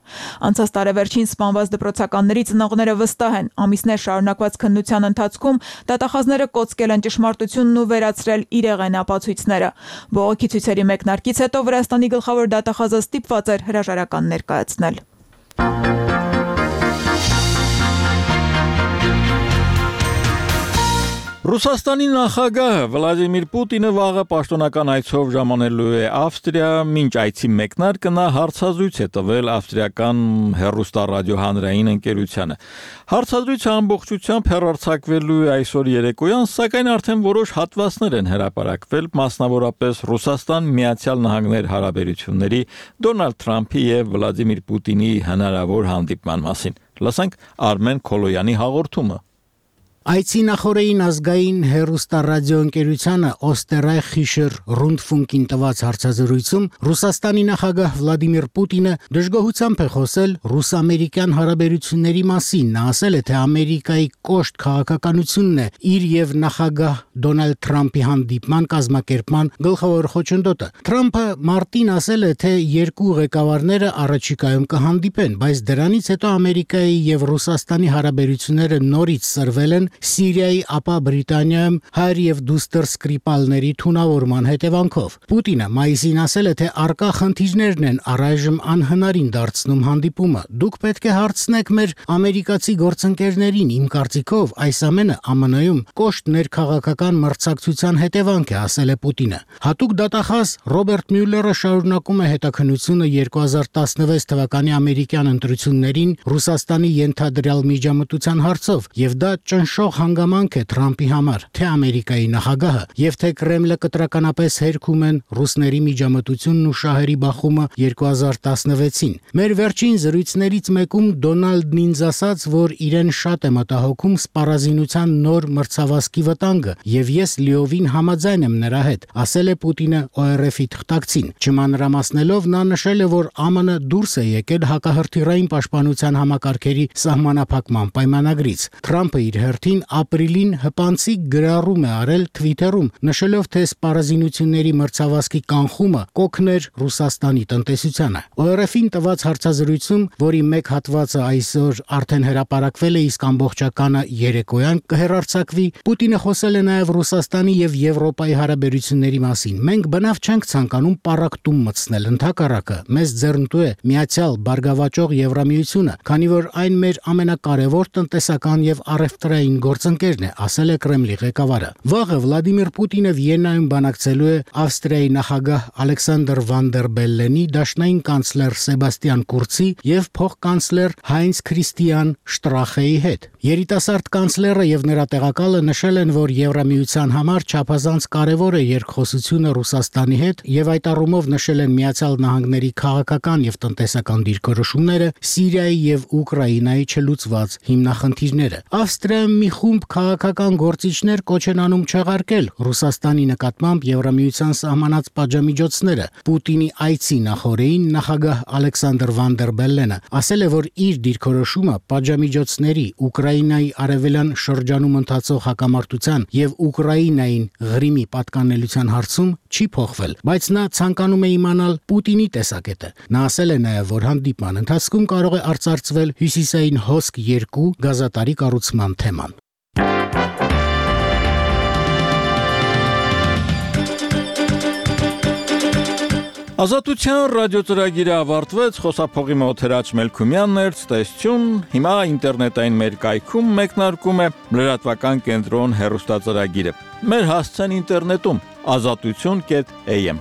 G: Անցած տարեվերջին սպանված դպրոցականների ծնողները վստահ են, ամիսներ շարունակված քննության ընթացքում դատախազները կոծկել են ճշմարտությունն ու վերացրել իրեղեն ապացույցները։ Բողոքի ցույցերի մեկնարկից հետո Վրաստանի գլխավոր դատախազը ստիպված էր հրաժարական ներկայացնել։
A: Ռուսաստանի նախագահ Վլադիմիր Պուտինը վաղը պաշտոնական այցով ժամանելու է Ավստրիա, մինչ այցի մեկնարկը նա հարցազրույց է տվել ավստրիական հեռուստառադիոհանրային ընկերությանը։ Հարցազրույցը ամբողջությամբ հեռարձակվելու է այսօր երեկոյան, սակայն արդեն որոշ հատվածներ են հրապարակվել, մասնավորապես Ռուսաստան Միացյալ Նահանգներ հարաբերությունների Դոնալդ Թրամփի եւ Վլադիմիր Պուտինի հնարավոր հանդիպման մասին։ Լսենք Արմեն Քոլոյանի հաղորդումը։
I: Այցի նախորդին ազգային հեռուստառադիոընկերությանը Օստերայխիշեր Ռունդֆունկին տված հարցազրույցում Ռուսաստանի նախագահ Վլադիմիր Պուտինը դժգոհությամբ է խոսել ռուս-ամերիկյան հարաբերությունների մասին։ Նա ասել է, թե Ամերիկայի կոշտ քաղաքականությունն է իր եւ նախագահ Դոնալդ Թրամփի հանդիպման կազմակերպման գլխավոր խոչընդոտը։ Թրամփը մարտին ասել է, թե երկու ղեկավարները առաջիկայում կհանդիպեն, բայց դրանից հետո Ամերիկայի եւ Ռուսաստանի հարաբերությունները նորից սրվել են Սիրիայի, ապա Բրիտանիայում հայր եւ դուստր սկրիպալների թունավորման հետևանքով։ Պուտինը մայիսին ասել է, թե արկա խնդիրներն են առայժմ անհնարին դարձնում հանդիպումը։ Դուք պետք է հարցնեք մեր ամերիկացի գործընկերներին, իմ կարծիքով այս ամենը ԱՄՆ -ում կոշտ ներքաղաքական մրցակցության հետևանք է, ասել է Պուտինը։ Հատուկ դատախազ Ռոբերտ Մյուլլերը շարունակում է հետաքննությունը երկու հազար տասնվեց թվականի ամերիկյան ընտրություններին Ռուսաստանի ենթադրյալ միջամտության հարցով, եւ դա ճնշող հանգամանք է Թրամփի համար, թե Ամերիկայի նախագահը եւ թե Կրեմլը կտրականապես հերքում են ռուսների միջամտությունն ու շահերի բախումը երկու հազար տասնվեցին։ Մեր վերջին զրույցներից մեկում Դոնալդն ինձ ասաց, որ իրեն շատ է մտահոգում սպառազինության նոր մրցավազքի վտանգը, եւ ես լիովին համաձայն եմ նրա հետ, ասել է Պուտինը օ էր էֆ-ի թղթակցին։ Չմանրամասնելով նա նշել է, որ ԱՄՆ դուրս է եկել հակահրթիռային պաշտպանության համակարգերի սահմանափակման պայմանագրից։ Թրամփը իր հերթին ապրիլին հպանցիկ գրառում է արել Twitter-ում, նշելով, թե սպառազինությունների մրցավազքի կանխումը կօգներ Ռուսաստանի տնտեսությանը։ օ էր էֆ-ին տված հարցազրույցում, որի մեկ հատվածը այսօր արդեն հրապարակվել է, իսկ ամբողջականը երեկոյան կհեռարձակվի, Պուտինը խոսել է նաև Ռուսաստանի եւ Եվրոպայի հարաբերությունների մասին։ Մենք բնավ չենք ցանկանում պառակտում մտցնել, ընդհակառակը, մեզ ձեռնտու է միացյալ բարգավաճող Եվրամիությունը, քանի որ այն մեր ամենակարևոր տնտեսական եւ առևտրային գործընկերն է, ասել է Կրեմլի ղեկավարը։ Վաղը Վլադիմիր Պուտինը Վիեննայում բանակցելու է Ավստրիայի նախագահ Ալեքսանդր Վան դեր Բելլենի, դաշնային կանցլեր Սեբաստիան Կուրցի եւ փոխկանցլեր Հայնց Քրիստիան Շտրախեի հետ։ Երիտասարդ կանցլերը եւ նրա տեղակալը նշել են, որ Եվրամիության համար չափազանց կարեւոր է երկխոսությունը Ռուսաստանի հետ եւ այդ առումով նշել են Միացյալ Նահանգների քաղաքական եւ տնտեսական դիրքորոշումները, Սիրիայի եւ Ուկրաինայի չլուծված հիմնախնդիրները։ Ավստրիայում մի խումբ քաղաքական գործիչներ կոչ են անում չեղարկել Ռուսաստանի նկատմամբ Եվրամիության սահմանած պատժամիջոցները։ Պուտինի այցի նախօրեին նախագահ Ալեքսանդր Վան դեր Բելլենը ասել է, որ իր դիրքորոշումը պատժամիջոցների, Ուկրաինայի արևելյան շրջանում ընթացող հակամարտության եւ Ուկրաինային Ղրիմի պատկանելիության հարցում չի փոխվել, բայց նա ցանկանում է իմանալ Պուտինի տեսակետը։ Նա ասել է նաեւ, որ հանդիպման ընթացքում կարող է արծարծվել Հյուսիսային հոսք երկու գազատարի կառուցման թեման։
A: Ազատության ռադիոծրագիրը ավարտվեց, խոսափողի մոտ Հրաչ Մելքումյանն էր, ցտեսություն, հիմա ինտերնետային մեր կայքում մեկնարկում է լրատվական կենտրոն հեռուստածրագիրը։ Մեր հասցեն ինտերնետում ազատություն կետ էյ էմ